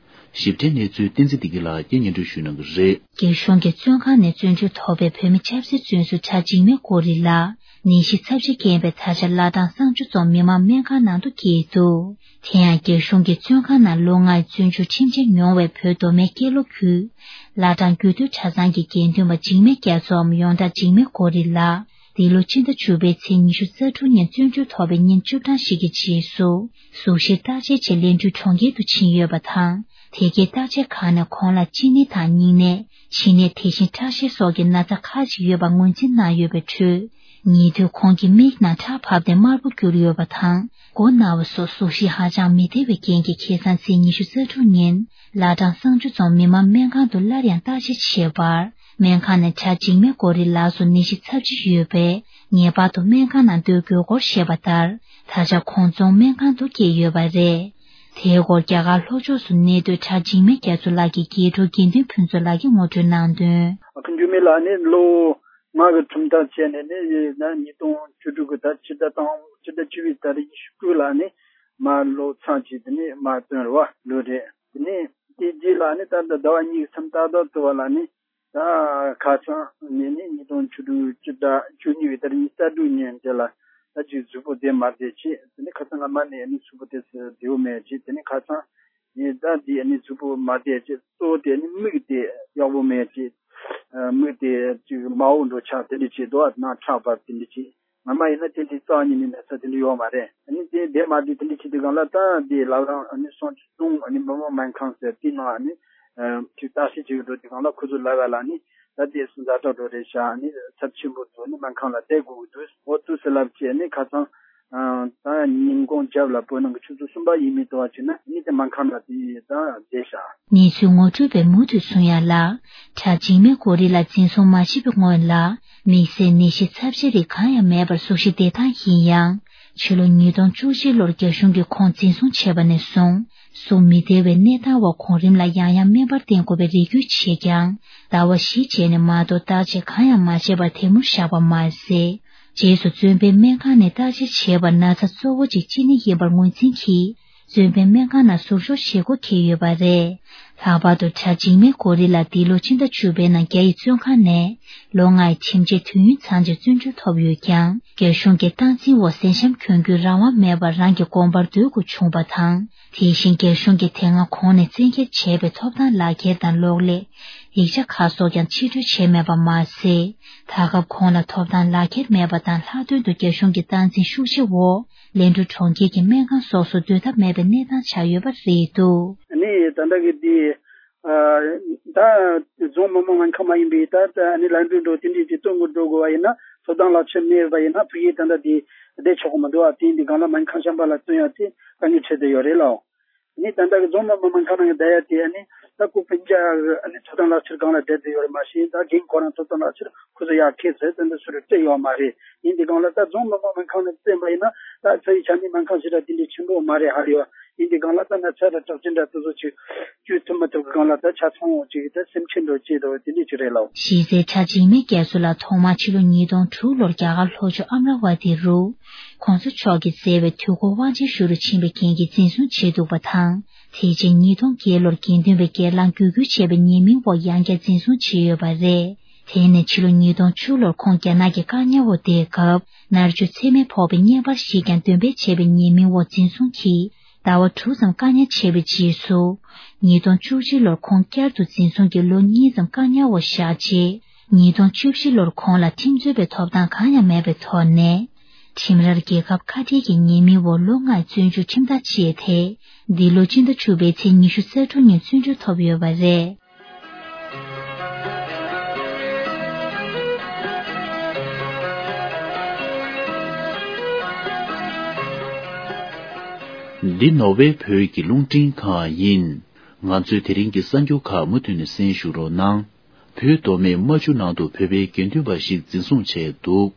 ཞིབ་ཕྲའི་གནས་ཚུལ་བསྟན་འཛིན་བདེ་སྐྱིད་ལགས་ཀྱིས་སྙན་སྒྲོན་ཞུ་གནང་གི་རེད། རྒྱ་གཞུང་གི་བཙོན་ཁང་ནས་བཙོན་འཇུག་ཐོབ་པའི་བོད་མི་ཆབ་སྲིད་བཙོན་ཟུར་གྲྭ་འཇིགས་མེད་གོ་རི་ལགས་ནད་གཞི་ཚབས་ཆེ་རྐྱེན་པས་ད་ཆ་བླ་བྲང་གསང་སྤྱོད་རྫོང་མི་མང་སྨན་ཁང་ནང་དུ་འཁྱེར་འདུག་དེ་ཡང་རྒྱ་གཞུང་གིས་བཙོན་ཁང་ནང་ལོ་ལྔའི་བཙོན་འཇུག་ཁྲིམས་ཆད་མྱོང་བའི་བོད་མདོ་སྨད་ཀན་ལྷོ་ཁུལ་བླ་བྲང་རྒྱུད་སྟོད་གྲྭ་ཚང་གི་དགེ་འདུན་པ་འཇིགས་མེད་རྒྱ་མཚོའམ་ཡོངས་གྲགས་འཇིགས་མེད་གོ་རི་ལགས། འདི་ལོ་ཕྱི་ཟླ་བཅུ་པའི་ཚེས་ཉི་ཤུ་རྩ་དྲུག་ཉིན་བཙོན་འཇུག་ཐོབ་པའི་ཉིན་བཅུ་གྲངས་ཤིག་གི་རྗེས་སུ། གཟུགས་གཞིར་བརྟག་དཔྱད་ཆེད་ལན་ཀྲུའུ་གྲོང་ཁྱེར་དུ་ཕྱིན་ཡོད་པ་དང་། དེ་གའི་བརྟག་དཔྱད་ཁང་ནས་ཁོང་ལ་གཅིན་སྙི་དང་སྙིང་ནད། མཆིན་ནད། དེ་བཞིན་ཁྲག་ཤེད་སོགས་ཀྱི་ན་ཚ་ཁག་ཅིག་ཡོད་པ་ངོས་འཛིན་གནང་ཡོད་པའི་ཁྲོད། ཉེ་དུས་ཁོང་གི་མིག་ནང་ཁྲག་བབས་ཏེ་དམར་པོ་གྱུར་ཡོད་པ་དང་། མགོ་ན་བ་སོགས་གཟུགས་གཞི་ཧ་ཅང་མི་བདེ་བའི་རྐྱེན་གྱིས་ཁ་སང་ཚེས་ཉི་ཤུ་རྩ་དྲུག་ཉིན་བླ་བྲང་གསང་སྤྱོད་རྫོང་མི་མང་སྨན་ཁང་དུ་སླར་ཡང་བརྟག་དཔྱད་བྱས་པར། སྨན་ཁང་ནས་གྲྭ་འཇིགས་མེད་གོ་རི་ལགས་སུ་ནད་གཞི་ཚབས་ཆེ་ཡོད་པས་ངེས་པར་དུ་སྨན་ཁང་ནང་སྡོད་དགོས་སྐོར་བཤད་པ་ལྟར། ད་ཆ་ཁོང་རྫོང་སྨན་ཁང་དུ་བསྐྱལ་ཡོད་པ་རེད། དེའི་སྐོར་རྒྱ་གར་ལྷོ་ཕྱོགས་སུ་གནས་སྡོད་གྲྭ་འཇིགས་མེད་རྒྱ་མཚོ་ལགས་ཀྱི་རྒྱལ་ཕྲུག་དགེ་འདུན་ཕུན་ཚོགས་ལགས་ཀྱིས་ངོ་སྤྲོད་གནང་དོན། ཨ་ཁུ་འགྱུར་མེད་ལགས་ནི་ལོ་ལྔ་གི་ཁྲིམས་ཐག་བཅད་ནས་ནི་ཡིན་ན་ཉིས་སྟོང་བཅུ་དྲུག་གི་ཟླ་ཕྱི་ཟླ་དང་ཕྱི་ཟླ་བཅུ་པའི་ཟླ་རེ་ཉི་ཤུ་དགུ་ལ་ནི་མ་ལོ་ཚང་གཅིག་དེ་ནི་མ་བཏོན་རེད་བ་ལོ་རེད། དེ་ནི་དེ་རྗེས་ལ་ནི་ད་ལྟ་ཟླ་བ་གཉིས་ཀྱི་མཚམས་ཏག་ཏག་ཏུ་བ་ལ་ནི། ད་ཁ་སང་ནས་ནི་ཉིས་སྟོང་བཅུ་དྲུག་སྤྱི་ཟླ་བཅུ་གཉིས་པའི་ཟླ་ཉི་ཤུ་རྩ་དྲུག་ཉིན་དེ་ལ་ད་ཅིག་གཟུགས་པོ་བདེ་མ་བདེ་བྱས། དེ་ནི་ཁ་སང་སྔ་མ་ནས་ནི་གཟུགས་པོ་དེ་བདེ་བོ་མེད་བྱས། དེ་ནི་ཁ་སང་ནི་ད་འདི་ནི་གཟུགས་པོ་མ་བདེ་བྱས། གཙོ་བོ་དེ་ནི་མིག་དེ་ཡག་པོ་མེད་བྱས། མིག་དེ་ཅིག་མ་འོང་འགྲོ་ཆགས་དེ་འདྲ་བྱས་འདུག་ནང་ཁྲག་འབབ་དེ་འདྲ་བྱས། སྔ་མ་ཡིན་ན་དེ་འདྲའི་རྩ་བ་ཉིད་ནས་ན་ཚ་དེ་འདྲ་ཡོད་མ་རེད། ཨ་ནི་དེ་བདེ་མ་བདེ་དེ་འདྲ་བྱེད་དུས་སྒང་ལ་ད་དེ་བླ་བྲང་ཨ་ནི་སང་སྟོང་ཨ་ནི་མི་མང་སྨན་ཁང་ཟེར་དེའི་ནང་ཨ་ནི་ཅིག་བརྟག་དཔྱད་བྱེད་ཀྱི་འགྲོ་དུས་སྒང་ལ་ཁོ་ཚོ་ལབ་ཡ་ལ་ནི་ད་དེ་ཟ་འཕྲོག་འགྲོ་རེད་ཤག་ཨ་ནི་ཚབས་ཆེན་པོ་འདུག་ཨ་ནི་སྨན་ཁང་ལ་བསྡད་དགོས་ཀྱི་འདུག་འོ་དུས་སུ་ལབ་བྱས་ཨ་ནི་ཁ་སང་ད་ཉིན་གུང་རྒྱབ་ལ་བོད་ནང་གི་ཆུ་ཚོད་གསུམ་པ་ཡས་མས་དུ་བ་བྱས་ན་ཨ་ནི་དེ་སྨན་ཁང་ལ་དེ་ད་བསྡད་ཤག་གནས་ཚུལ་ངོ་སྤྲོད་པས་མུ་མཐུད་གསུངས་ཡ་ལ། ཁྲག་འཇིགས་མེད་གོ་རི་ལ་འཛིན་བཟུང་མ་བྱས་པའི་སྔོན་ལ། དམིགས་བསལ་ནད་གཞི་ཚབས་ཆེ་རིགས་གང་ཡང་མེད་པར་གཟུགས་གཞི་བདེ་ཐང་ཡིན་ཡང་། ཕྱི་ལོ་ཉིས་སྟོང་བཅུ་གཅིག་ལོར་རྒྱ་གཞུང་གིས་ཁོང་འཛིན་བཟུང་བྱས་པ་ནས་བཟུང་། གཟུགས་མི་བདེ་བའི་གནས་སྟངས་འོག་གོང་རིམ་ལ་ཡང་ཡང་སྨན་པར་བསྟེན་དགོས་པའི་རེ་སྐུལ་བྱས་ཀྱང་། ཟླ་བ་བཞི་རྗེས་ནས་མ་གཏོགས་བརྟག་དཔྱད་གང་ཡང་མ་བྱས་པར་དེ་མུར་བཞག་པ་མ་ཟད། རྗེས་སུ་བཙོན་པའི་སྨན་ཁང་ནས་བརྟག་དཔྱད་བྱས་པར་ན་ཚ་གཙོ་བོ་གཅིག་ཅི་ནི་ཡིན་པར་ངོས་འཛིན་གྱིས། བཙོན་པའི་སྨན་ཁང་ནང་ཟུར་འཇོག་བྱེད་སྒོ་འཁེལ་ཡོད་པ་རེད། ལྷག་པར་དུ་གྲྭ་འཇིགས་མེད་གོ་རི་ལ་འདི་ལོ་སྤྱི་ཟླ་བཅུ་པའི་ནང་རྒྱ་ཡི་བཙོན་ཁང་ནས་ལོ་ལྔའི་ཁྲིམས་ཆད་དུས་ཡུན་ཚང་ཆེད་བཙོན་འཇུག་ཐོབ་ཡོད་ཀྱང་། རྒྱ་གཞུང་གི་སྟངས་འཛིན་འོག་གཟན་ཤམ་གྱོན་རྒྱུའི་རང་དབང་མེད་པར་རང་གི་དགོན་པར་སྡོད་དགོས་བྱུང་བ་དང་། དེ་བཞིན་རྒྱ་གཞུང་གིས་དེ་སྔ་གོང་ནས་བཙན་འཁྱེར་བྱས་པའི་ཐོབ་ཐང་ལག་ཁྱེར་དང་གློག་ཀླད། ཡིག་ཆ་ཁག་སོགས་ཀྱང་ཕྱིར་སྤྲོད་བྱས་མེད་པ་མ་ཟད། ད་སྐབས་ཁོང་ལ་ཐོབ་ཐང་ལག་ཁྱེར་མེད་པ་དང་། ལྷག་དོན་དུ་རྒྱ་གཞུང་གི་སྟངས་འཛིན་ཤུགས་ཆེ་འོག་ལན་ཀྲུའུ་གྲོང་ཁྱེར་གྱི་སྨན་ཁང་སོགས་སུ་སྡོད་ཐབས་མེད་པའི་གནས་སྟངས་ཆགས་ཡོད་པ་རེད་འདུག་ཨ་ནི་ད་ལྟ་གི་འདི་ཨ་ད་རྫོང་མི་དམངས་སྨན་ཁང་མ་ཡིན་པའི་ད་ཨ་ནི་ལན་ཀྲུའུ་འགྲོ་དེ་འདྲའི་དེ་སྟོན་དགོས་འགྲོ་དགོས་པ་ཡིན་ན། ཐོབ་ཐང་ལག་ཁྱེར་མེད་པ་ཡིན་ན་ཕ་གིའི་ད་ལྟ་དེ་བསྡད་ཆོག་གི་མི་འདུག་ཨ་དེ་འདི་སྒང་ལ་སྨན་ཁང་གཞན་པ་ལ་བཙོན་ཡ་དེ་དཀའ་ངལ་འཕྲད་བསྡད་ཡོད་རེད་ལགས། ནི་ད་ལྟ་གི་རྫོང་མི་དམངས་སྨན་ཁང་ནང་གི་བསྡད་ཡ་དེ་ཨ་ནི་ད་སྐུ་སྤུན་ཀྱག་གི་ཨ་ནི་ཐོབ་ཐང་ལག་ཁྱེར་སྒང་ལ་བསྡད་བསྡད་ཡོད་རེད། མ་གཞི་ད་རྒན་ཁོ་རང་ཐོབ་ཐང་ལག་ཁྱེར་ཁོ་ཚོ་ཡར་ཁྱེར་ཚར་ཏེ་འདི་ཚུར་སྤྲད་ཡོད་མ་རེད། ཡིན་དེ་སྒང་ལ་ད་རྫོང་མི་དམངས་སྨན་ཁང་ནང་བཙན་པ་ཡིན་ན་ད་ཚ་བའི་ཆ་ནས་སྨན་ཁང་ཞིག་ལ་དེ་འདྲའི་ཆེན་པོ་མ་རེད་ཧ་ལས་པ། ཡིན་དེ་སྒང་ལ་ད་ན་ཚ་ར་དྲག་ཅན་འདྲ་དེ་ཚོ་ཅིག་བཅོས་ཐུབ་མ་ཐུབ་ཀྱི་སྒང་ལ་ད་ཆ་ཚང་བོ་ཅིག་ད་སེམས་ཁྲལ་འགྲོ་ཅེས་དོ་དེ་འདྲ་ཅིག་རེད་ལགས། གཞི་རྩའི་གྲྭ་འཇིགས་མེད་རྒྱ་མཚོ་ལགས་ཐོག་མར་ཕྱི་ལོ་ཉིས་སྟོང་དྲུག་ལོར་རྒྱ་གར་ལྷོ་ཕྱོགས་ཨམ་ར་ཝ་ཏི་རུ། གོང་ས་མཆོག་གིས་མཛད་པའི་དུས་འཁོར་དབང་ཆེན་ཞུ་རུ་ཕྱིན་པའི་རྐྱེན་གྱིས་འཛིན་བཟུང་བྱས་འདུག་པ་དང་། དེ་རྗེས་ཉིས་སྟོང་བརྒྱད་ལོར་དགེ་འདུན་པའི་སྒེར་ལངས་བརྒྱུད་སྐུལ་བྱས་པའི་ཉེས་མིང་འོག་ཡང་བསྐྱར་འཛིན་བཟུང་བྱས་ཡོད་པ་རེད། དེ་ནས་ཕྱི་ལོ་ཉིས་སྟོང་བཅུ་ལོར་ཁོང་རྒྱ་ནག་གི་བཀག་ཉར་འོག་བསྡད་སྐབས། མནར་གཅོད་ཚད་མེད་ཕོག་པའི་བརྙན་པར་ཞིག་ཀྱང་འདོན་སྤེལ་བྱས་པའི་ཉེས་མིང་འོག་འཛིན་བཟུང་གིས་ཟླ་བ་དྲུག་ཙམ་བཀག་ཉར་བྱས་པའི་རྗེས་སུ། ཉིས་སྟོང་བཅུ་གཅིག་ལོར་ཁོང་བསྐྱར་དུ་འཛིན་བཟུང་གིས་ལོ་གཉིས་ཙམ་བཀག་ཉར་འོག་བཞག་རྗེས། ཉིས་སྟོང་བཅུ་བཞི་ལོར་ཁོང་ལ་ཁྲིམས་རྩོད་པའི་ཐོབ་ཐང་གང་ཡང་མེད་པའི་ཐོག་ནས། ཁྲིམས་རར་རྒྱལ་ཁབ་ཁ་བྲལ་གྱི་ཉེས་མིང་འོག་ལོ་ལྔའི་བཙོན་འཇུག་ཁྲིམས་ཐག་བཅད་དེ། འདི་ལོ་སྤྱི་ཟླ་བཅུ་པའི་ཚེས་ཉི་ཤུ་རྩ་དྲུག་ཉིན་བཙོན་འཇུག་ཐོབ་ཡོད་པ་རེད། འདི་ནོར་ཝེ་བོད་ཀྱི་རླུང་འཕྲིན་ཁང་ཡིན། ང་ཚོའི་དེ་རིང་གི་གསར་འགྱུར་ཁག་མུ་མཐུད་ནས་གསན་ཞུ་རོགས་གནང་། བོད་མདོ་སྨད་རྨ་ཆུ་ནང་དུ་བོད་པའི་དགེ་འདུན་པ་ཞིག་འཛིན་བཟུང་བྱས་འདུག་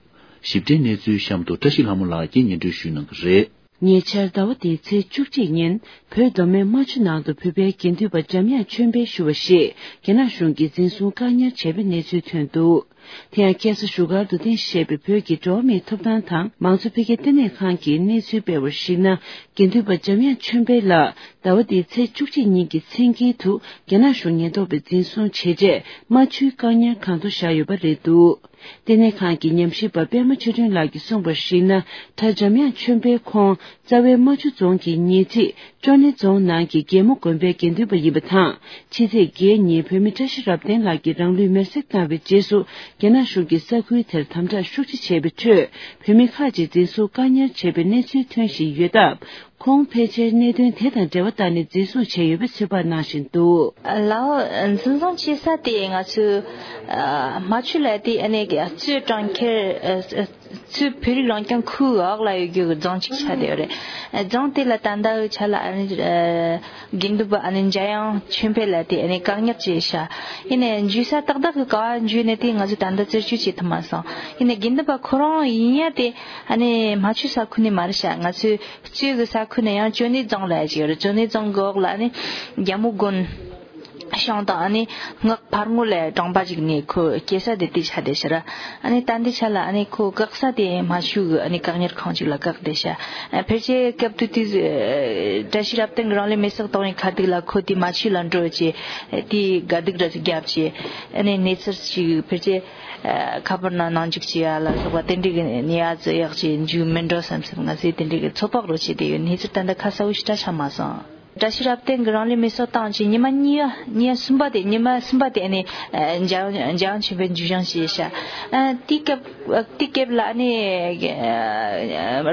ཞིབ་ཕྲའི་གནས་ཚུལ་གཤམ་དུ་བཀྲ་ཤིས་ལྷ་མོ་ལགས་ཀྱིས་སྙན་སྒྲོན་ཞུ་གནང་གི་རེད། ཉེ་ཆར་ཟླ་བ་འདིའི་ཚེས་བཅུ་གཅིག་ཉིན་བོད་མདོ་སྨད་རྨ་ཆུ་ནང་དུ་བོད་པའི་དགེ་འདུན་པ་འཇམ་དབྱངས་ཆོས་འཕེལ་ཞུ་བ་ཞིག་རྒྱ་ནག་གཞུང་གིས་འཛིན་བཟུང་བཀག་ཉར་བྱས་པའི་གནས་ཚུལ་ཐོན་འདུག་དེ་ཡང་ཁ་སང་བཞུགས་སྒར་དུ་རྟེན་གཞི་བྱས་པའི་བོད་ཀྱི་འགྲོ་བ་མིའི་ཐོབ་ཐང་དང་མང་གཙོ་འཕེལ་རྒྱས་ལྟེ་གནས་ཁང་གིས་གནས་ཚུལ་སྤེལ་བར་གཞིགས་ན། དགེ་འདུན་པ་འཇམ་དབྱངས་ཆོས་འཕེལ་ལགས་ཟླ་བ་འདིའི་ཚེས་བཅུ་གཅིག་ཉིན་གྱི་མཚན་རྐྱལ་དུ་རྒྱ་ནག་གཞུང་ཉེན་རྟོག་པས་འཛིན་བཟུང་བྱས་རྗེས་རྨ་ཆུའི་བཀག་ཉར་ཁང་དུ་བཞག་ཡོད་པ་རེད་འདུག་ལྟེ་གནས་ཁང་གི་ཉམས་ཞིབ་པ་པད་མ་ཆོས་སྒྲོན་ལགས་ཀྱིས་གསུངས་པར་གཞིགས་ན། གྲྭ་འཇམ་དབྱངས་ཆོས་འཕེལ་ཁོང་རྩ་བའི་རྨ་ཆུ་རྫོང་གི་ཉེ་འཁྲིས་ཅོ་ནེ་རྫོང་ནང་གི་རྒྱལ་མོ་དགོན་པའི་དགེ་འདུན་པ་ཡིན་པ་དང་། ཕྱི་ཚེས་བརྒྱད་ཉིན་བོད་མི་བཀྲ་ཤིས་རབ་བརྟན་ལགས་ཀྱིས་རང་ལུས་མེར་སྲེག་བཏང་བའི་རྗེས་སུ། རྒྱ་ནག་གཞུང་གིས་ས་ཁུལ་དེར་དམ་དྲག་ཤུགས་ཆེ་བྱས་པའི་ཁྲོད། བོད་མི་ཁག་ཅིག་འཛིན་བཟུང་བཀག་ཉར་བྱས་པའི་གནས་ཚུལ་ཐོན་བཞིན་ཡོད་སྟབས། ཁོང་ཕལ་ཆེར་གནད་དོན་དེ་དང་འབྲེལ་བ་བཏགས་ནས་འཛིན་བཟུང་བྱས་ཡོད་པའི་ཚོད་དཔག་གནང་བཞིན་འདུག་ལའོ། འཛིན་བཟུང་བྱེད་ས་དེ་ང་ཚོའི་རྨ་ཆུ་ལ་དེ་ཨ་ནི་གཙོས་གྲོང་ཁྱེར་གཙོས་བོད་རིགས་རང་སྐྱོང་ཁུལ་འོག་ལ་ཡོད་རྒྱུ་གི་རྫོང་གཅིག་ཆགས་བསྡད་ཡོད་རེད། རྫོང་དེ་ལ་ད་ལྟའི་ཆ་ལ་ཨ་ནི་དགེ་འདུན་པ་ཨ་ནི་འཇམ་དབྱངས་ཆོས་འཕེལ་ལགས་དེ་ཨ་ནི་བཀག་ཉར་བྱས་ཤག་ཡིན་ནའི་འཇུ་ས་ཏག་ཏག་གི་ག་བ་འཇུས་ནས་དེ་ང་ཚོས་ད་ལྟ་རྩད་གཅོད་བྱེད་ཐུབ་མ་སོང་། ཡིན་ནའི་དགེ་འདུན་པ་ཁོ་རང་ཡིན་ཡ་དེ་ཨ་ནི་རྨ་ཆུ་ས་ཁུལ་ནས་མ་རེད་ཤག་ང་ཚོས། གཙོས་ཀྱི་ས་ཁུལ་ནས་ཡང་ཅོ་ནེ་རྫོང་ལ་ཅིག་ཡོད་རེད། ཅོ་ནེ་རྫོང་གི་འོག་ལ་ནི་རྒྱལ་མོ་དགོན་ཤང་དང་ཨ་ནི་སྔགས་ཕར་ངོ་ལ་གྲོང་པ་ཅིག་ནས་ཁོ་སྐྱེས་ས་དེ་དེ་ཆགས་བསྡད་ཤག་ར། ཨ་ནི་ད་འདི་ཆ་ལ་ཨ་ནི་ཁོ་བཀག་ས་དེ་རྨ་ཆུ་གི་ཨ་ནི་བཀག་ཉར་ཁང་ཅིག་ལ་བཀག་བསྡད་ཤག་ཕལ་ཆེར་སྐབས་དུས་དེ་བཀྲ་ཤིས་རབ་བརྟན་གྱི་རང་ལུས་མེར་སྲེག་གཏོང་བའི་ཁ་ཐུག་ལ་ཁོ་དེ་རྨ་ཆུ་ལ་འགྲོ་བྱས་དེ་དགའ་སྡུག་འདྲ་ཅིག་བརྒྱབ་བྱས་ཨ་ནི་གནས་ཚུལ་ཅིག་ཕལ་ཆེར་ཁ་པར་ནང་ནང་འཇུག་བྱས་ཡ་ལ་སོགས་པ་དེ་འདྲའི་གི་ནི་ཡ་ཙི་ཡག་ཅིག་འཇུག་མི་འགྲོ་བསམ་བསམ་ང་ཚོས་དེ་འདྲའི་གི་ཚོད་དཔག་རོ་བྱས་བསྡད་ཡོད། གནས་ཚུལ་ད་ལྟ་ཁ་གསལ་བོ་ཞེ་དྲག་ཆགས་མ་སོང་། བཀྲ་ཤིས་རབ་བརྟན་གྱི་རང་ལུས་མེར་སྲེག་བཏང་རྗེས་ཉི་མ་གཉིས་པ་ཉིན་གསུམ་པ་དེ་ཉི་མ་གསུམ་པ་དེ་ཨ་ནི་འཇམ་འཇམ་ཆེན་པོའི་འཇུ་བྱང་བྱས་ཤག་དེའི་སྐབས་དེའི་སྐབས་ལ་ཨ་ནི་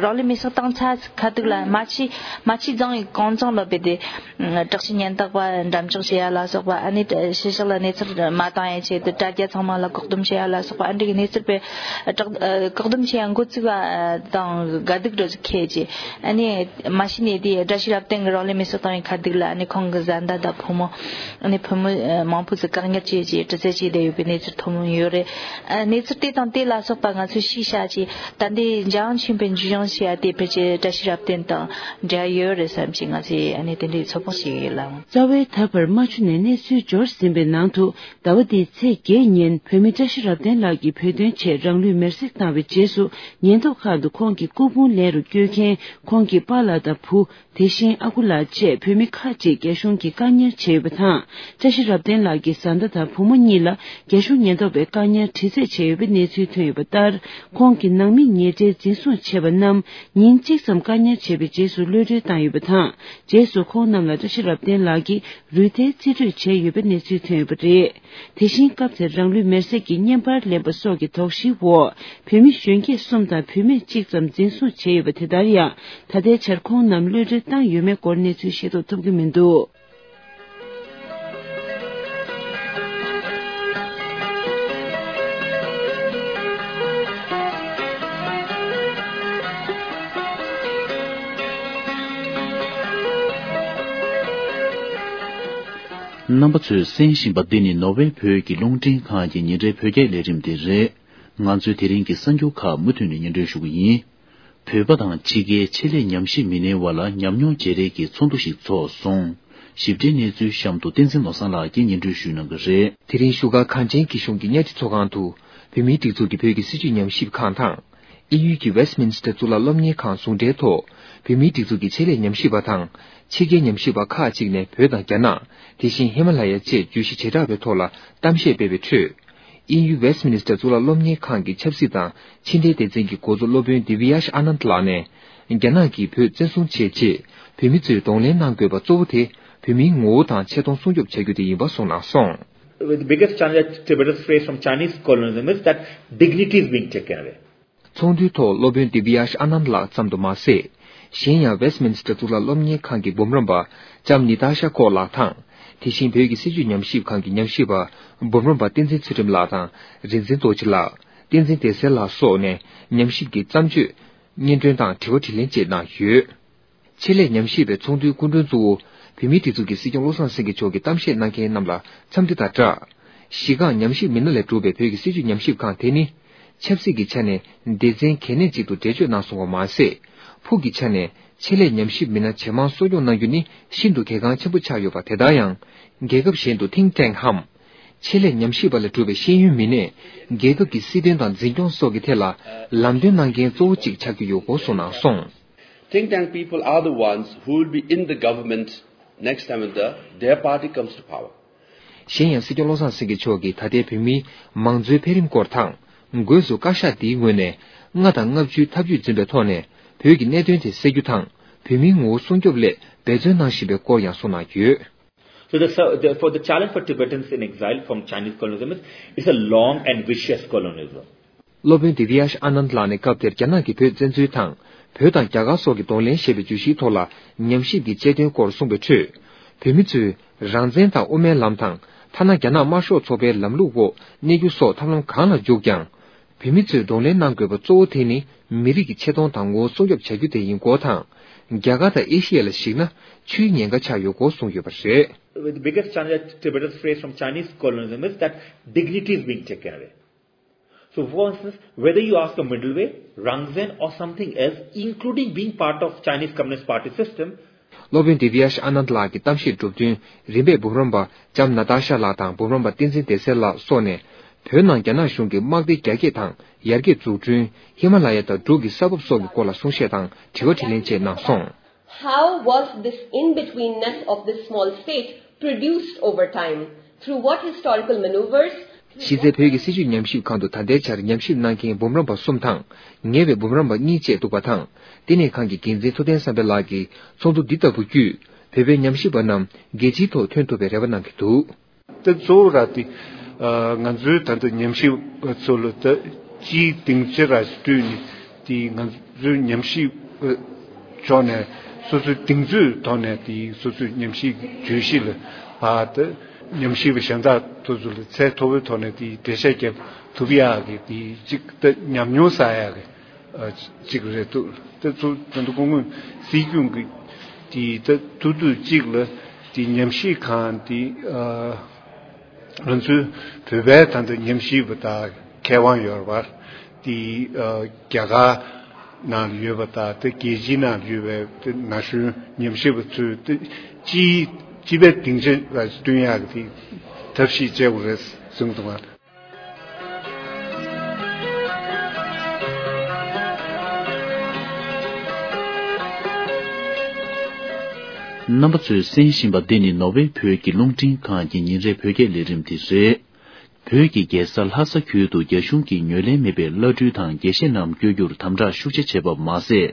རང་ལུས་མེར་སྲེག་བཏང་ཚར་ཁ་ཐུག་ལ་རྨ་ཆུ་རྨ་ཆུ་རྫོང་གི་གུང་ཚང་ལ་བུད་དེ། དྲག་ཆས་ཉེན་རྟོག་པ་འགྲེམས་འཇོག་བྱེད་ཡ་ལ་སོགས་པ་ཨ་ནི་ཕྱི་ཕྱོགས་ལ་གནས་ཚུལ་མ་བཏང་ཡ་ཆེད་དུ་དྲ་རྒྱ་ཚང་མ་ལ་བཀག་སྡོམ་བྱེད་ཡ་ལ་སོགས་པ་ཨ་འདྲ་གི་གནས་ཚུལ་སྤེལ་བཀག་སྡོམ་བྱེད་ཡ་འགོ་བཙུགས་པ་དང་དགའ་སྡུག་འདྲ་ཟིག་ཁེལ་རྗེས་ཨ་ནི་མ་གཞི་ནས་དེ་བཀྲ་ཤིས་རབ་བརྟན་གྱི་རང་ལུས་མེར་སྲེག་བཏང་། ཁ་སྡུག་ལ་ཨ་ནི་ཁོང་གི་བཟའ་ཟླ་དང་བུ་མོ། ཨ་ནི་བུ་མོ་ཨ་མང་པོ་ཟིག་བཀག་ཉར་བྱས་རྗེས་དྲི་རྩད་བྱས་བསྡད་ཡོད་པའི་གནས་ཚུལ་ཐོན་ཡོད་རེད། ཨ་གནས་ཚུལ་དེ་དང་དེ་ལ་སོགས་པ་ང་ཚོས་ཤེས་བྱ་ཅིག་ད་ལྟའི་འཇམ་ཆེན་པོའི་འཇུ་བྱང་བྱས་ཡ་དེ་ཕལ་ཆེར་བཀྲ་ཤིས་རབ་བརྟན་དང་འབྲེལ་ཡོད་རེད་བསམ་གྱི། ང་ཚོས་ཨ་ནི་དེ་འདྲའི་ཚོད་དཔག་བྱེད་ཀྱི་ཡོད་ལ། རྩ་བའི་ད་བར་རྨ་ཆུ་ནས་གནས་ཚུལ་འབྱོར་ཟིན་པའི་ནང་དུ། ཟླ་བ་འདིའི་ཚེས་བརྒྱད་ཉིན་བོད་མི་བཀྲ་ཤིས་རབ་བརྟན་ལགས་ཀྱིས་བོད་དོན་ཆེད་རང་ལུས་མེར་སྲེག་བཏང་བའི་རྗེས་སུ། ཉེན་རྟོག་ཁང་དུ་ཁོང་གི་སྐུ་ཕུང་ལེན་རུ་བསྐྱོད་མཁན་ཁོང་གི་པཱ་ལགས་དང་བུ། དེ་བཞིན་ཨ་ཁུ་ལགས་བཅས་བོད་མི་ཁག་ཅིག་རྒྱ་གཞུང་གིས་བཀག་ཉར་བྱས་ཡོད་པ་དང་། བཀྲ་ཤིས་རབ་བརྟན་ལགས་ཀྱི་བཟའ་ཟླ་དང་བུ་མོ་གཉིས་ལ་རྒྱ་གཞུང་ཉེན་རྟོག་པས་བཀག་ཉར་དྲི་རྩད་བྱས་ཡོད་པའི་གནས་ཚུལ་ཐོན་ཡོད་པ་ལྟར། ཁོང་གི་ནང་མི་ཉེ་འབྲེལ་འཛིན་བཟུང་བྱས་པ་རྣམས་ཉིན་གཅིག་ཙམ་བཀག་ཉར་བྱས་པའི་རྗེས་སུ་གློད་གྲོལ་བཏང་ཡོད་པ་དང་། རྗེས་སུ་ཁོང་རྣམས་ལ་བཀྲ་ཤིས་རབ་བརྟན་ལགས་ཀྱིས་རུས་ཐལ་རྩིས་སྤྲོད་བྱས་ཡོད་པའི་གནས་ཚུལ་ཐོན་ཡོད་པ་རེད། དེ་བཞིན་སྐབས་དེར་རང་ལུས་མེར་སྲེག་གི་བརྙན་པར་ལེན་པ་སོགས་ཀྱི་དོགས་གཞིའི་འོག་བོད་མི་གཞོན་སྐྱེས་གསུམ་དང་བུད་མེད་གཅིག་ཙམ་འཛིན་བཟུང་བྱས་ཡོད་པ་དེ་ལྟར་ཡང་། ད་ལྟའི་ཆར་ཁོང་རྣམས་གློད་གྲོལ་བཏང་ཡོད་མེད་སྐོར་གནས་ཚུལ་ཤེས་རྟོགས་ཐུབ་ཀྱི་མི་འདུག། རྣམ་པ་ཚོས་གསན་བཞིན་པ་འདི་ནི་ནོར་ཝེ་བོད་ཀྱི་རླུང་འཕྲིན་ཁང་གི་ཉིན་རེའི་བོད་སྐད་ལས་རིམ་དེ་རེད། ང་ཚོས་དེ་རིང་གི་གསར་འགྱུར་ཁག་མུ་མཐུད་ནས་སྙན་སྒྲོན་ཞུ་གི་ཡིན། བོད་པ་དང་ཕྱི་རྒྱལ་ཆེད་ལས་ཉམས་ཞིབ་མི་སྣའི་དབར་ལ་ཉམས་མྱོང་བརྗེ་རེས་ཀྱི་ཚོགས་འདུ་ཞིག་ཚོགས་སོང་། ཞིབ་ཕྲའི་གནས་ཚུལ་གཤམ་དུ་བསྟན་འཛིན་ནོར་བཟང་ལགས་ཀྱིས་སྙན་སྒྲོན་ཞུ་གནང་གི་རེད། དེ་རིང་བཞུགས་སྒར་གངས་ཅན་སྐྱིད་གཤོངས་ཀྱི་གཉའ་ཁྲི་ཚོགས་ཁང་དུ། བོད་མིའི་སྒྲིག་འཛུགས་ཀྱི་བོད་ཀྱི་སྲིད་བྱུས་ཉམས་ཞིབ་ཁང་དང་། དབྱིན་ཡུལ་གྱི་Westminster་གཙུག་ལག་སློབ་གཉེར་ཁང་ཟུང་འབྲེལ་ཐོག་བོད་མིའི་སྒྲིག་འཛུགས་ཀྱི་ཆེད་ལས་ཉམས་ཞིབ་པ་དང་། ཕྱི་རྒྱལ་ཉམས་ཞིབ་པ་ཁག་ཅིག་ནས་བོད་དང་རྒྱ་ནག་དེ་བཞིན་ཧི་མ་ལ་ཡ་བཅས་བརྗོད་གཞི་བྱེ་བྲག་པའི་ཐོག་ལ་གཏམ་བཤད་སྤེལ་བའི་ཁྲོད། དབྱིན་ཡུལ་Westminster་གཙུག་ལག་སློབ་གཉེར་ཁང་གི་ཆབ་སྲིད་དང་ཕྱི་འབྲེལ་སྡེ་ཚན་གྱི་འགོ་གཙོ་སློབ་དཔོན་Divyash Anand་ལགས་ནས། རྒྱ་ནག་གིས་བོད་བཙན་བཟུང་བྱས་རྗེས། བོད་མི་ཚོས་གདོང་ལེན་གནང་དགོས་པ་གཙོ་བོ་དེ། བོད་མིའི་ངོ་བོ་དང་ཆེ་མཐོང་སྲུང་སྐྱོབ་བྱ་རྒྱུ་དེ་ཡིན་པ་གསུངས་གནང་སོང་། The biggest challenge that Tibetans face from Chinese colonialism is that dignity is being taken away. ཚོགས་འདུའི་ཐོག་སློབ་དཔོན་Divyash Anand་ལགས་ཙམ་དུ་མ་ཟད། གཞན་ཡང་Westminster་གཙུག་ལག་སློབ་གཉེར་ཁང་གི་འབུམ་རམས་པ་ལྕམ་Natasha Kok་ལགས་དང་། དེ་བཞིན་བོད་ཀྱི་སྲིད་བྱུས་ཉམས་ཞིབ་ཁང་གི་ཉམས་ཞིབ་པ་འབུམ་རམས་པ་བསྟན་འཛིན་ཚུལ་ཁྲིམས་ལགས་དང་། རིག་འཛིན་རྡོ་རྗེ་ལགས། བསྟན་འཛིན་བདེ་གསལ་ལགས་སོགས་ནས་ཉམས་ཞིབ་ཀྱི་བརྩམས་ཆོས། སྙན་སྒྲོན་དང་དྲི་བ་དྲིས་ལན་བཅས་གནང་ཡོད། ཆེད་ལས་ཉམས་ཞིབ་པའི་ཚོགས་འདུའི་སྐུ་མགྲོན་གཙོ་བོ། བོད་མིའི་སྒྲིག་འཛུགས་ཀྱི་སྲིད་སྐྱོང་བློ་བཟང་སེང་གེ་མཆོག་གིས་གཏམ་བཤད་གནང་མཁན་རྣམས་ལ་འཚམས་འདྲི་དང་སྦྲགས། གཞི་རྐང་ཉམས་ཞིབ་མི་སྣ་ལས་གྲུབ་པའི་བོད་ཀྱི་སྲིད་བྱུས་ཉམས་ཞིབ་ཁང་དེ་ནི། ཆབ་སྲིད་ཀྱི་ཆ་ནས་སྡེ་ཚན་གལ་གནད་ཅིག་ཏུ་འགྲེལ་བརྗོད་གནང་སོང་བ་མ་ཟད། ཕུགས་ཀྱི་ཆ་ནས་ཆེད་ལས་ཉམས་ཞིབ་མི་སྣ་ཇེ་མང་གསོ་སྐྱོང་གནང་རྒྱུ་ནི་ཤིན་ཏུ་གལ་འགངས་ཆེན་པོ་ཆགས་ཡོད་པ་དེ་ལྟར་ཡང་། རྒྱལ་ཁབ་གཞན་དུ་think tank་འམ། ཆེད་ལས་ཉམས་ཞིབ་པ་ལས་གྲུབ་པའི་ཤེས་ཡོན་མི་སྣས། རྒྱལ་ཁབ་ཀྱི་སྲིད་དོན་དང་འཛིན་སྐྱོང་སོགས་ཀྱི་ཐད་ལ་ལམ་སྟོན་གནང་མཁན་གཙོ་བོ་གཅིག་ཆགས་ཀྱི་ཡོད་སྐོར་གསུངས་གནང་སོང་། Think tank people are the ones who will be in the government next time when the, their party comes to power. གཞན་ཡང་སྲིད་སྐྱོང་བློ་བཟང་སེང་གེ་མཆོག་གིས་ད་ལྟའི་བོད་མིའི་མང་གཙོའི་འཕེལ་རིམ་སྐོར་དང་། སྒོས་སུ་བཀའ་ཤག་འདིའི་ངོས་ནས་ལྔ་དང་ལྔ་བཅུའི་ཐབས་ཇུས་འཛིན་པའི་ཐོག་ནས་བོད་ཀྱི་གནད་དོན་དེ་སེལ་རྒྱུ་དང་། བོད་མིའི་ངོ་བོ་སྲུང་སྐྱོབ་སླད་འབད་བརྩོན་གནང་བཞིན་པའི་སྐོར་ཡང་གསུངས་གནང་ཡོད། So the, the, for the challenge for Tibetans in exile from Chinese colonialism is a long and vicious colonialism. སློབ་དཔོན་Divyash Anand་ལགས་ནས་སྐབས་དེར་རྒྱ་ནག་གིས་བོད་བཙན་འཛུལ་དང་། བོད་དང་རྒྱ་གར་སོགས་ཀྱི་གདོང་ལེན་ཞེས་པའི་བརྗོད་གཞིའི་ཐོག་ལ་ཉམས་ཞིབ་ཀྱི་དཔྱད་དོན་སྐོར་གསུངས་པའི་ཁྲོད། བོད་མི་ཚོས་རང་བཙན་དང་དབུ་མའི་ལམ་དང་། ཐ་ན་རྒྱ་ནག་དམར་ཤོག་ཚོགས་པའི་ལམ་ལུགས་འོག་གནས་རྒྱུ་སོགས་ཐབས་ལམ་གང་ལ་འཇུག་ཀྱང་། བོད་མི་ཚོས་གདོང་ལེན་གནང་དགོས་པ་གཙོ་བོ་དེ་ནི་མི་རིགས་ཀྱི་ཆེ་མཐོང་དང་ངོ་བོ་སྲུང་སྐྱོབ་བྱ་རྒྱུ་དེ་ཡིན་སྐོར་དང་། རྒྱ་གར་དང་ཨེ་ཤི་ཡ་ལ་གཞིགས་ན་ཆུའི་ཉེན་ཁ་ཆགས་ཡོད་སྐོར་གསུངས་ཡོད་པ་རེད། The biggest challenge that Tibetans face from Chinese colonialism is that dignity is being taken away. So, for instance, whether you ask a middle way, Rangzen or something else, including being part of Chinese Communist Party system, སློབ་དཔོན་Divyash Anand་ལགས་ཀྱི་གཏམ་བཤད་གྲུབ་བསྟུན་རིམ་པས་འབུམ་རམས་པ་ལྕམ་Natasha་ལགས་དང་འབུམ་རམས་པ་བསྟན་འཛིན་བདེ་གསལ་ལགས་སོགས་ནས་བོད་ནང་རྒྱ་ནག་གཞུང་གི་དམག་སྡེ་རྒྱ་སྐྱེད་དང་ཡར་རྒྱས་འཛུགས་སྐྲུན། ཧི་མ་ལ་ཡ་དང་འབྲུག་གི་ས་བབ་སོགས་ཀྱི་སྐོར་ལ་གསུང་བཤད་དང་དྲི་བ་དྲིས་ལན་བཅས་གནང་སོང་། How was this in-betweenness of this small state produced over time? Through what historical maneuvers? གཞི་རྩའི་བོད་ཀྱི་སྲིད་བྱུས་ཉམས་ཞིབ་ཁང་དུ་ད་ལྟའི་ཆར་ཉམས་ཞིབ་གནང་མཁན་འབུམ་རམས་པ་གསུམ་དང་། ངེས་པའི་འབུམ་རམས་པ་གཉིས་བཅས་འདུག་པ་དང་། བསྟི་གནས་ཁང་གི་འགན་འཛིན་ཐུབ་བསྟན་བསམ་འཕེལ་ལགས་ཀྱིས་ཚོགས་འདུ་འདི་ལྟ་བུ་བརྒྱུད། བོད་པའི་ཉམས་ཞིབ་པ་རྣམས་རྒྱལ་སྤྱིའི་ཐོག་ཐོན་ཐུབ་པའི་རེ་བ་གནང་གི་འདུག། དེ་གཙོ་བོ་ར་དེ། ང་ཚོའི་ད་ལྟ་ཉམས་ཞིབ་པ་ཚོ་ལ་ད་སྤྱིའི་སྡིངས་ཆ་ར་བསྐྲུན་ནས་དེ་ང་ཚོའི་ཉམས་ཞིབ་པ་ཕྱོགས་ནས་སོ་སོའི་གདེང་ཚོད་ཐོག་ནས་དེ་སོ་སོའི་ཉམས་ཞིབ་ཀྱི་བརྗོད་གཞི་ལ་ཕར་ད་ཉམས་ཞིབ་པ་གཞན་དག་ཚོ་ཚོ་ལ་ཚད་མཐོ་པོའི་ཐོག་ནས་དེ་འགྲེལ་བཤད་རྒྱབ་ཐུབ་ཡག་གི་དེ་གཅིག་ད་ཉམས་མྱོང་བསགས་ཡག་གི་གཅིག་རེད་འདུག། དེ་ཚོ་ད་ལྟ་སྐུ་ངོ་སྲིད་སྐྱོང་གི་ དེ་ད་ཐུག་དུས་གཅིག་ལ་དེ་ཉམས་ཞིབ་ཁང་དེ་ཨ་ང་ཚོའི་བོད་པའི་ད་ལྟ་ཉམས་ཞིབ་པ་དང་མཁས་དབང་ཡོད་པ་དེ་ཨ་རྒྱ་གར་ནང་ལ་ཡོད་པ་དང་དེ་རྒྱལ་སྤྱིའི་ནང་ལ་ཡོད་པའི་དེ་ན་གཞོན་ཉམས་ཞིབ་པ་ཚོས་དེ་སྤྱི་སྤྱི་པའི་སྡིངས་ཆ་ལ་བསྟུན་ཡག་གི་དེ་ཐབས་ཤེས་བྱེད་དགོས་རེད་གསུངས་འདུག་ང་། རྣམ་པ་ཚོས་གསན་བཞིན་པ་འདི་ནི་ནོར་ཝེ་བོད་ཀྱི་རླུང་འཕྲིན་ཁང་གི་ཉིན་རེའི་བོད་སྐད་ལས་རིམ་དེ་རེད། བོད་ཀྱི་རྒྱལ་ས་ལྷ་ས་ཁུལ་དུ་རྒྱ་གཞུང་གིས་ངོས་ལེན་མེད་པའི་བླ་སྤྲུལ་དང་དགེ་བཤེས་རྣམས་བསྐྱོད་རྒྱུར་དམ་དྲག་ཤུགས་ཆེ་བྱས་པ་མ་ཟད།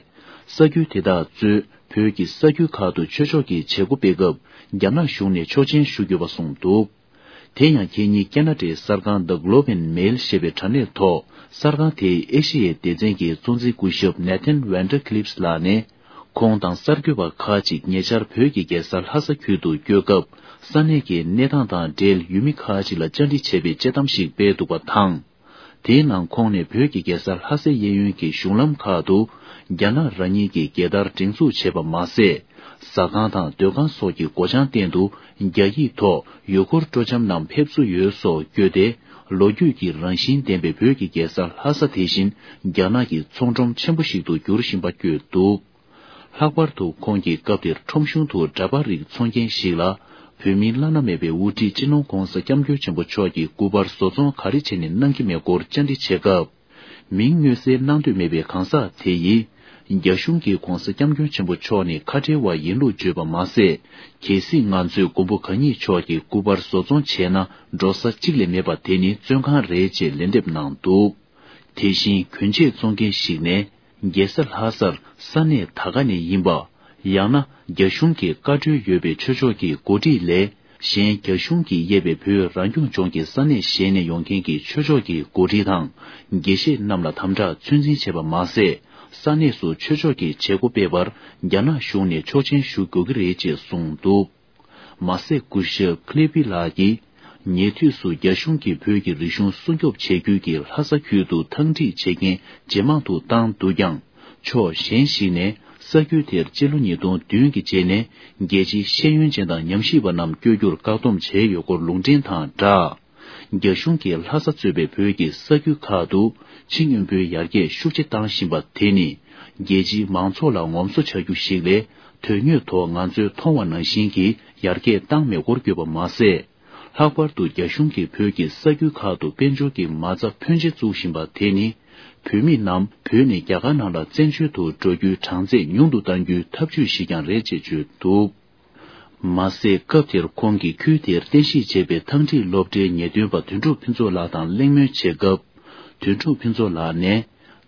ས་ཁུལ་དེ་དག་གཙོས་བོད་ཀྱི་ས་ཁུལ་ཁག་ཏུ་ཆོས་ཕྱོགས་ཀྱི་བྱེད་སྒོ་སྤེལ་སྐབས་རྒྱ་ནག་གཞུང་ནས་ཆོག་མཆན་ཞུ་དགོས་པ་གསུངས་འདུག་དེ་ཡང་ཁེ་ཉིན་ཁེ་ན་ཌའི་གསར་ཁང་The Globe and Mail ཞེས་པའི་དྲ་གནས་ཐོག་གསར་ཁང་དེའི་ཨེ་ཤི་ཡའི་སྡེ་ཚན་གྱི་གཙོ་འཛིན་སྐུ་ཞབས་Nathan Van Der Clips ལགས་ནས། ཁོང་དང་གསར་འགོད་པ་ཁག་ཅིག་ཉེ་ཆར་བོད་ཀྱི་རྒྱལ་ས་ལྷ་ས་ཁུལ་དུ་བསྐྱོད་སྐབས་ས་གནས་ཀྱི་གནས་སྟངས་དང་འབྲེལ་ཡུལ་མི་ཁག་ཅིག་ལ་བཅར་འདྲི་བྱས་པའི་དཔྱད་གཏམ་ཞིག་སྤེལ་འདུག་པ་དང་། དེའི་ནང་ཁོང་ནས་བོད་ཀྱི་རྒྱལ་ས་ལྷ་སའི་གཡས་གཡོན་གྱི་གཞུང་ལམ་ཁག་ཏུ་རྒྱ་ནག་རང་ཉིད་ཀྱི་རྒྱལ་དར་སྒྲེང་འཛུགས་བྱས་པ་མ་ཟད། ཟ་ཁང་དང་སྡོད་ཁང་སོགས་ཀྱི་སྒོ་བྱང་སྟེང་དུ་རྒྱ་ཡིག་ཐོག་ཡུལ་སྐོར་སྤྲོ་འཆམ་རྣམས་ཕེབས་བསུ་ཡོད་སོགས་བཀོད་དེ། ལོ་རྒྱུས་ཀྱི་རང་བཞིན་ལྡན་པའི་བོད་ཀྱི་རྒྱལ་ས་ལྷ་ས་དེ་བཞིན་རྒྱ་ནག་གི་ཚོང་ཁྲོམ་ཆེན་པོ་ཞིག་ཏུ་འགྱུར་བཞིན་པ་བཀོད་འདུག་ལྷག་པར་དུ་ཁོང་གིས་སྐབས་དེར་ཁྲོམ་གཞུང་དུ་འདྲ་པར་རིགས་འཚོང་མཁན་ཞིག་ལ། བོད་མིའི་བླ་ན་མེད་པའི་དབུ་ཁྲིད་སྤྱི་ནོར་༧གོང་ས་༧སྐྱབས་མགོན་ཆེན་པོ་མཆོག་གི་སྐུ་པར་བཟོ་ཚོང་ག་རེ་བྱས་ནས་གནང་གི་མེད་སྐོར་བཅར་འདྲི་བྱེད་སྐབས། མིང་མངོན་གསལ་གནང་འདོད་མེད་པའི་གང་ཟག་དེ་ཡིས། རྒྱ་གཞུང་གིས་༧གོང་ས་༧སྐྱབས་མགོན་ཆེན་པོ་མཆོག་ནི་ཁ་བྲལ་བ་ཡིན་ལུགས་བརྗོད་པ་མ་ཟད། གལ་སྲིད་ང་ཚོས་མགོན་པོ་གང་ཉིད་མཆོག་གི་སྐུ་པར་བཟོ་ཚོང་བྱས་ན་འགྲོ་ས་གཅིག་ལས་མེད་པ་དེ་ནི་བཙོན་ཁང་རེད་ཅེས་ལན་འདེབས་གནང་འདུག་དེ་བཞིན་གྱོན་ཆས་བཙོང་མཁན་ཞིག་ནས། རྒྱལ་ས་ལྷ་སར་ས་གནས་ད་ག་ནས་ཡིན་པ། ཡང་ན་རྒྱ་གཞུང་གི་བཀའ་འཁྲོལ་ཡོད་པའི་ཆོས་ཕྱོགས་ཀྱི་འགོ་ཁྲིད་ལས། གཞན་རྒྱ་གཞུང་གིས་དབྱེ་བའི་བོད་རང་སྐྱོང་ལྗོངས་ཀྱི་ས་གནས་གཞན་ནས་ཡོང་མཁན་གྱི་ཆོས་ཕྱོགས་ཀྱི་འགོ་ཁྲིད་དང་། དགེ་བཤེས་རྣམས་ལ་དམ་དྲག་ཚོད་འཛིན་བྱས་པ་མ་ཟད། ས་གནས་སུ་ཆོས་ཕྱོགས་ཀྱི་བྱེད་སྒོ་སྤེལ་བར་རྒྱ་ནག་གཞུང་ནས་ཆོག་མཆན་ཞུ་དགོས་ཀྱི་རེད་ཅེས་གསུངས་འདུག་མ་ཟད་སྐུ་ཞབས་ཁི་ལི་པི་ལགས་ཀྱིས། ཉེ་དུས་སུ་རྒྱ་གཞུང་གིས་བོད་ཀྱི་རིག་གཞུང་སྲུང་སྐྱོབ་བྱེད་རྒྱུ་གི་ལྷ་ས་ཁུལ་དུ་ཐང་ཁྲིད་བྱེད་མཁན་ཇེ་མང་དུ་བཏང་འདུག་ཀྱང་། ཕྱོགས་གཞན་ཞིག་ནས་ས་ཁུལ་དེར་སྤྱི་ལོ་ཉིས་སྟོང་བདུན་གྱི་རྗེས་ནས་རྒྱལ་སྤྱིའི་ཤེས་ཡོན་ཅན་དང་ཉམས་ཞིབ་པ་རྣམས་བསྐྱོད་རྒྱུར་བཀག་སྡོམ་བྱས་ཡོད་སྐོར་ལུང་འདྲེན་དང་སྦྲགས། རྒྱ་གཞུང་གིས་ལྷ་ས་གཙོས་པའི་བོད་ཀྱི་ས་ཁུལ་ཁག་ཏུ་ཕྱི་སྔོན་པོའི་ཡར་རྒྱས་ཤུགས་ཆེ་བཏང་བཞིན་པ་དེ་ནི་རྒྱལ་སྤྱིའི་མང་ཚོགས་ལ་ངོམ་སོ་ཆགས་རྒྱུ་ཞིག་ལས། དོན་དངོས་ཐོག་ང་ཚོས་མཐོང་བ་ནང་བཞིན་གྱི་ཡར་རྒྱས་བཏང་མེད་སྐོར་བརྗོད་པ་མ་ཟད། ལྷག་པར་དུ་རྒྱ་གཞུང་གིས་བོད་ཀྱི་ས་ཁུལ་ཁག་ཏུ་དཔལ་འབྱོར་གྱི་མ་རྩ་ཕོན་ཆེ་བཙུགས་བཞིན་པ་དེ་ནི། བོད་མི་རྣམས་བོད་ནས་རྒྱ་གར་ནང་ལ་བཙན་བྱོལ་དུ་འགྲོ་རྒྱུའི་གྲངས་ཚད་ཉུང་དུ་གཏང་རྒྱུའི་ཐབས་ཇུས་ཤིག་ཀྱང་རེད་ཅེས་བརྗོད་འདུག་མ་ཟད། སྐབས་དེར་ཁོང་གིས་ཁུལ་དེར་རྟེན་གཞི་བྱས་པའི་ཐང་ཁྲིད་སློབ་གྲྭའི་ཉེས་དོན་པ་དོན་གྲུབ་ཕུན་ཚོགས་ལགས་དང་གླེང་མོལ་བྱེད་སྐབས། དོན་གྲུབ་ཕུན་ཚོགས་ལགས་ནས།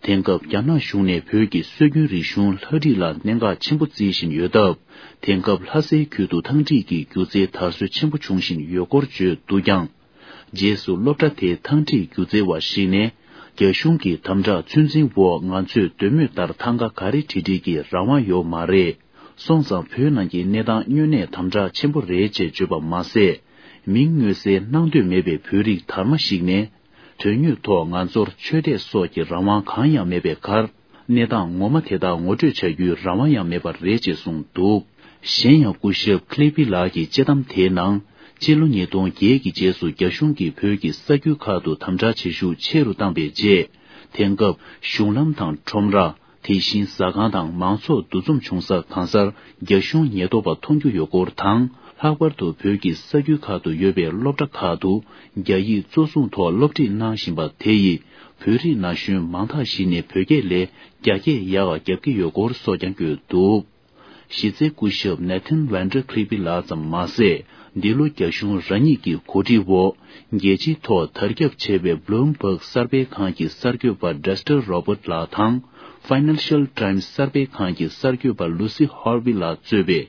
དེང་སྐབས་རྒྱ་ནག་གཞུང་ནས་བོད་ཀྱི་སྲོལ་རྒྱུན་རིག་གཞུང་ལྷ་བྲིས་ལ་གནད་འགག་ཆེན་པོ་བརྩི་བཞིན་ཡོད་སྟབས། དེང་སྐབས་ལྷ་སའི་ཁུལ་དུ་ཐང་ཁྲིད་ཀྱི་སྒྱུ་རྩལ་དར་སྲོལ་ཆེན་པོ་འབྱུང་བཞིན་ཡོད་སྐོར་བརྗོད་འདུག་ཀྱང་། རྗེས་སུ་སློབ་གྲྭ་དེའི་ཐང་ཁྲིད་སྒྱུ་རྩལ་བ་ཞིག་ནས། རྒྱ་གཞུང་གི་དམ་དྲག་ཚོད་འཛིན་འོག་ང་ཚོས་འདོད་མོས་ལྟར་ཐང་ག་ག་རེ་བྲིས་བྲིས་ཀྱི་རང་དབང་ཡོད་མ་རེད། སོང་ཙང་བོད་ནང་གི་གནས་སྟངས་དངོས་གནས་དམ་དྲག་ཆེན་པོ་རེད་ཅེས་བརྗོད་པ་མ་ཟད། མིང་མངོན་གསལ་གནང་འདོད་མེད་པའི་བོད་རིགས་དར་མ་ཞིག་ནས། དོན་དངོས་ཐོག་ང་ཚོར་ཆོས་དད་སོགས་ཀྱི་རང་དབང་གང་ཡང་མེད་པའི་ཁར། གནས་སྟངས་ངོ་མ་དེ་དག་ངོ་སྤྲོད་བྱ་རྒྱུའི་རང་དབང་ཡང་མེད་པ་རེད་ཅེས་གསུངས་འདུག་གཞན་ཡང་སྐུ་ཞབས་ཁི་ལི་པི་ལགས་ཀྱི་དཔྱད་གཏམ་དེའི་ནང་། སྤྱི་ལོ་ཉིས་སྟོང་བརྒྱད་ཀྱི་རྗེས་སུ་རྒྱ་གཞུང་གིས་བོད་ཀྱི་ས་ཁུལ་ཁག་ཏུ་དམ་དྲག་བྱེད་ཤུགས་ཆེ་རུ་བཏང་པའི་རྗེས། དེང་སྐབས་གཞུང་ལམ་དང་ཁྲོམ་ར། དེ་བཞིན་ཟ་ཁང་དང་མང་ཚོགས་འདུ་འཛོམས་བྱུང་ས་གང་སར་རྒྱ་གཞུང་ཉེན་རྟོག་པ་མཐོང་རྒྱུ་ཡོད་སྐོར་དང་། ལྷག་པར་དུ་བོད་ཀྱི་ས་ཁུལ་ཁག་ཏུ་ཡོད་པའི་སློབ་གྲྭ་ཁག་ཏུ་རྒྱ་ཡིག་གཙོ་བཟུང་ཐོག་སློབ་ཁྲིད་གནང་བཞིན་པ་དེ་ཡིས་བོད་རིགས་ན་གཞོན་མང་དག་ཞིག་ནས་བོད་སྐད་ལས་རྒྱ་སྐད་ཡག་པ་རྒྱབ་ཀྱི་ཡོད་སྐོར་སོགས་ཀྱང་བཀོད་འདུག་གཞི་རྩའི་སྐུ་ཞབས་Nathan Van Der Clippy་ལགས་ཙམ་མ་ཟད། འདི་ལོ་རྒྱ་གཞུང་རང་ཉིད་ཀྱི་གོ་སྒྲིག་འོག་རྒྱལ་སྤྱིའི་ཐོག་དར་ཁྱབ་ཆེ་བའི་Bloomberg་གསར་སྤེལ་ཁང་གི་གསར་འགོད་པ་Dexter་Roberts་ལགས་དང་། Financial Times་གསར་སྤེལ་ཁང་གི་གསར་འགོད་པ་Lucy Horville་ལགས་གཙོས་པའི་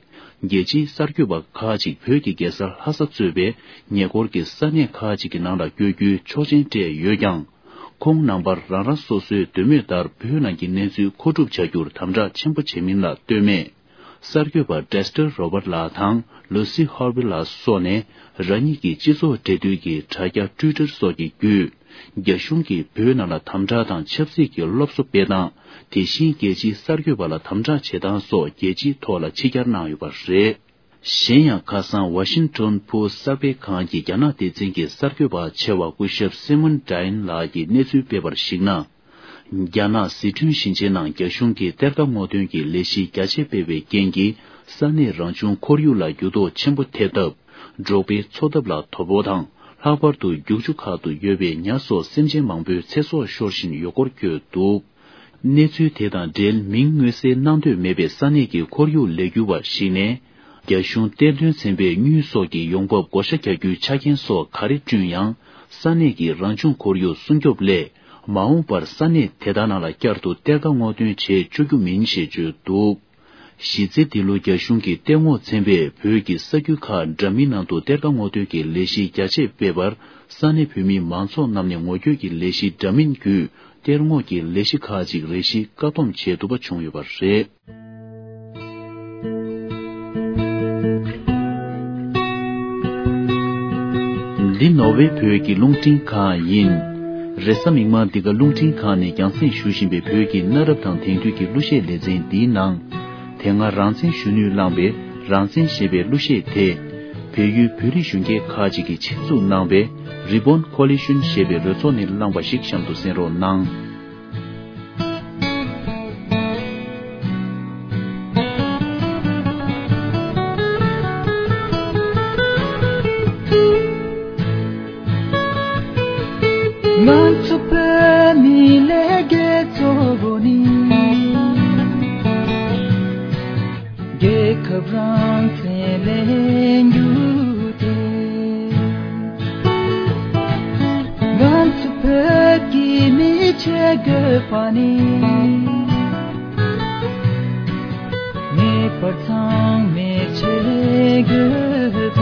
རྒྱལ་སྤྱིའི་གསར་འགོད་པ་ཁག་ཅིག་བོད་ཀྱི་རྒྱལ་ས་ལྷ་ས་གཙོས་པའི་ཉེ་འཁོར་གྱི་ས་གནས་ཁག་ཅིག་གི་ནང་ལ་བསྐྱོད་རྒྱུའི་ཆོག་མཆན་སྤྲད་ཡོད་ཀྱང་། ཁོང་རྣམ་པར་རང་རང་སོ་སོའི་འདོད་མོས་ལྟར་བོད་ནང་གི་གནས་ཚུལ་མཁོ་སྒྲུབ་བྱ་རྒྱུར་དམ་དྲག་ཆེན་པོ་བྱེད་མིན་ལ་ལྟོས་མེད། གསར་འགོད་པ་Dexter་Robert་ལགས་དང་Lucy Horville་ལགས་སོགས་ནས་རང་ཉིད་ཀྱི་སྤྱི་ཚོགས་འབྲེལ་མཐུད་ཀྱི་དྲ་རྒྱ་Twitter་སོགས་ཀྱི་བརྒྱུད། རྒྱ་གཞུང་གིས་བོད་ནང་ལ་དམ་དྲག་དང་ཆབ་སྲིད་ཀྱི་སློབ་གསོ་སྤེལ་སྟངས། དེ་བཞིན་རྒྱལ་སྤྱིའི་གསར་འགོད་པ་ལ་དམ་དྲག་བྱེད་སྟངས་སོགས་རྒྱལ་སྤྱིའི་ཐོག་ལ་ཕྱི་གྱར་གནང་ཡོད་པ་རེད། གཞན་ཡང་ཁ་སང་Washington Post་གསར་སྤེལ་ཁང་གི་རྒྱ་ནག་སྡེ་ཚན་གྱི་གསར་འགོད་པ་ཆེ་བ་སྐུ་ཞབས་Simon Dine་ལགས་ཀྱིས་གནས་ཚུལ་སྤེལ་བར་གཞིགས་ན། རྒྱ་ནག་ཟི་ཁྲོན་ཞིང་ཆེན་ནང་རྒྱ་གཞུང་གིས་གཏེར་ཁ་སྔོག་འདོན་གྱི་ལས་གཞི་རྒྱ་ཆེ་སྤེལ་བའི་རྐྱེན་གྱིས་ས་གནས་རང་བྱུང་ཁོར་ཡུག་ལ་འགྱུར་ལྡོག་ཆེན་པོ་ཐེབས་སྟབས། འབྲོག་པའི་འཚོ་ཐབས་ལ་དོ་ཕོག་དང་། ལྷག་པར་དུ་རྒྱུག་ཆུ་ཁག་ཏུ་ཡོད་པའི་ཉ་སོགས་སེམས་ཅན་མང་པོའི་ཚེ་སྲོག་ཤོར་བཞིན་ཡོད་སྐོར་བཀོད་འདུག། གནས་ཚུལ་དེ་དང་འབྲེལ་མིང་མངོན་གསལ་གནང་འདོད་མེད་པའི་ས་གནས་ཀྱི་ཁོར་ཡུག་ལས་འགུལ་བ་ཞིག་ནས། རྒྱ་གཞུང་གཏེར་འདོན་ཚན་པས་དངུལ་སོགས་ཀྱི་ཡོང་འབབ་བགོ་བཤའ་རྒྱག་རྒྱུའི་ཆ་རྐྱེན་སོགས་ག་རེ་བསྐྲུན་ཡང་། ས་གནས་ཀྱི་རང་བྱུང་ཁོར་ཡུག་སྲུང་སྐྱོབ་སླད། མ་འོངས་པར་ས་གནས་དེ་དག་ནང་ལ་བསྐྱར་དུ་གཏེར་ཁ་སྔོག་འདོན་བྱེད་བཅུག་རྒྱུ་མིན་ཞེས་བརྗོད་འདུག། གཞི་རྩའི་འདི་ལོ་རྒྱ་གཞུང་གིས་གཏེར་སྔོག་ཚན་པས་བོད་ཀྱི་ས་ཁུལ་ཁག་འདྲ་མིན་ནང་དུ་གཏེར་ཁ་སྔོག་འདོན་གྱི་ལས་གཞི་རྒྱ་ཆེ་སྤེལ་བར། ས་གནས་བོད་མི་མང་ཚོགས་རྣམས་ནས་ངོ་རྒོལ་གྱི་ལས་གཞི་འདྲ་མིན་བརྒྱུད། གཏེར་སྔོག་གི་ལས་གཞི་ཁག་ཅིག་རེ་ཞིག་བཀག་སྡོམ་བྱས་འདུག་པ་བྱུང་ཡོད་པ་རེད། འདི་ནོར་ཝེ་བོད་ཀྱི་རླུང་འཕྲིན་ཁང་ཡིན། རེས་གཟའ་མིག་དམར་འདི་ག་རླུང་འཕྲིན་ཁང་ནས་རྒྱང་སྲིང་ཞུ་བཞིན་པའི་བོད་ཀྱི་གནའ་རབས་དང་དེང་དུས་ཀྱི་གླུ་གཞས་ལེ་ཚན་འདིའི་ནང་། དེ་སྔ་རང་བཙན་ཞུ་ནུས་བླངས་པའི་རང་བཙན་ཞེས་པའི་གླུ་གཞས་དེ། བལ་ཡུལ་བོད་རིགས་གཞོན་སྐྱེས་ཁག་ཅིག་གིས་ཆེད་འཛུགས་གནང་བའི་Ribbon Coalition་ཞེས་པའི་རོལ་ཚོགས་ནས་བླངས་པ་ཞིག་གཤམ་དུ་གསན་རོགས་གནང་། ང་ཚོ་བོད་མི་ལས་འགན་གཙོ་བོ་ནི། རྒྱལ་ཁབ་རང་བཙན་ལེན་རྒྱུ་དེ། ང་ཚོ་བོད་ཀྱི་མི་བྱེད་དགོས་པ་ནི། ངེས་པར་ཚང་མས་བྱེད་དགོས་པ།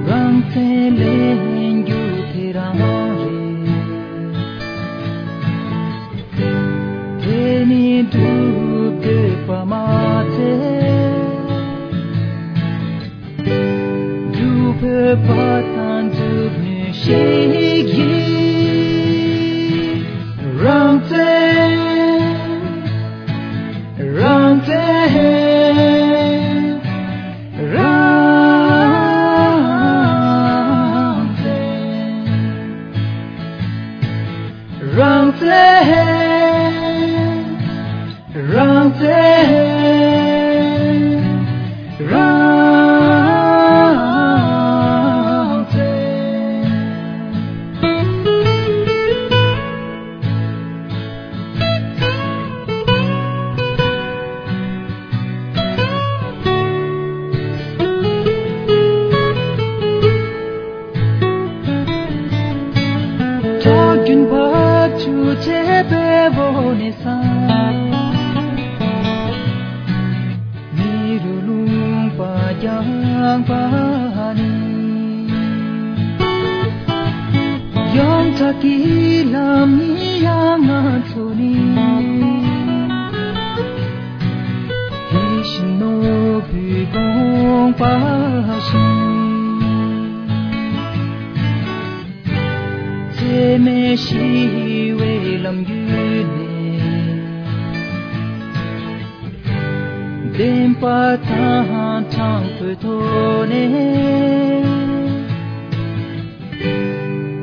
རང་བཙན་ལེན་རྒྱུ་དེ་རང་རེད། དེ་ནི་སྒྲུབ་དགོས་པ་མ་ཚད། སྒྲུབ་ཕོད་པ་དང་སྒྲུབ་ནུས་ཤིག་ཡིན། རང་བཙན། རང་བཙན། རང་བཙན། རང་བཙན། རང་བཙན། རང་བཙན། ཁྲག་རྒྱུན་བབས་ཆུ་ཆེ་བའི་འོག་ནས་སངས། མི་རུ་ལུང་པ་རྒྱང་པ་ནི། ཡོངས་གྲགས་ཀྱི་ལམ་ཡིན་ཡང་ང་ཚོ་ནི། ཡིད་བཞིན་ནོར་བུའི་དགོངས་པ་བཞིན། འཚེ་མེད་ཞི་བའི་ལམ་བརྒྱུད་ནས། བདེན་པ་དང་དྲང་པོའི་ཐོག་ནས།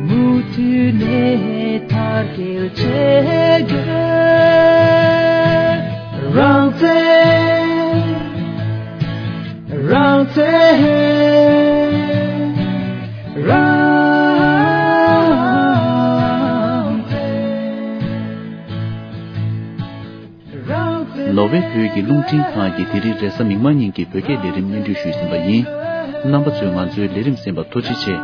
མུ་མཐུད་ནས་དར་རྒྱས་བྱེད་དགོས། རང་བཙན། རང་བཙན། རང་བཙན། ནོར་ཝེ་བོད་ཀྱི་རླུང་འཕྲིན་ཁང་གིས་དེ་རིང་རེས་གཟའ་མིག་དམར་ཉིན་གྱི་བོད་སྐད་ལས་རིམ་སྙན་སྒྲོན་ཞུས་ཟིན་པ་ཡིན། རྣམ་པ་ཚོས་ང་ཚོའི་ལས་རིམ་གསན་པར་ཐུགས་རྗེ་ཆེ།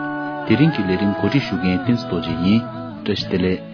དེ་རིང་གི་ལས་རིམ་གོ་སྒྲིག་ཞུ་མཁན་བསྟན་འཛིན་རྡོ་རྗེ་ཡིན། བཀྲ་ཤིས་བདེ་ལེགས།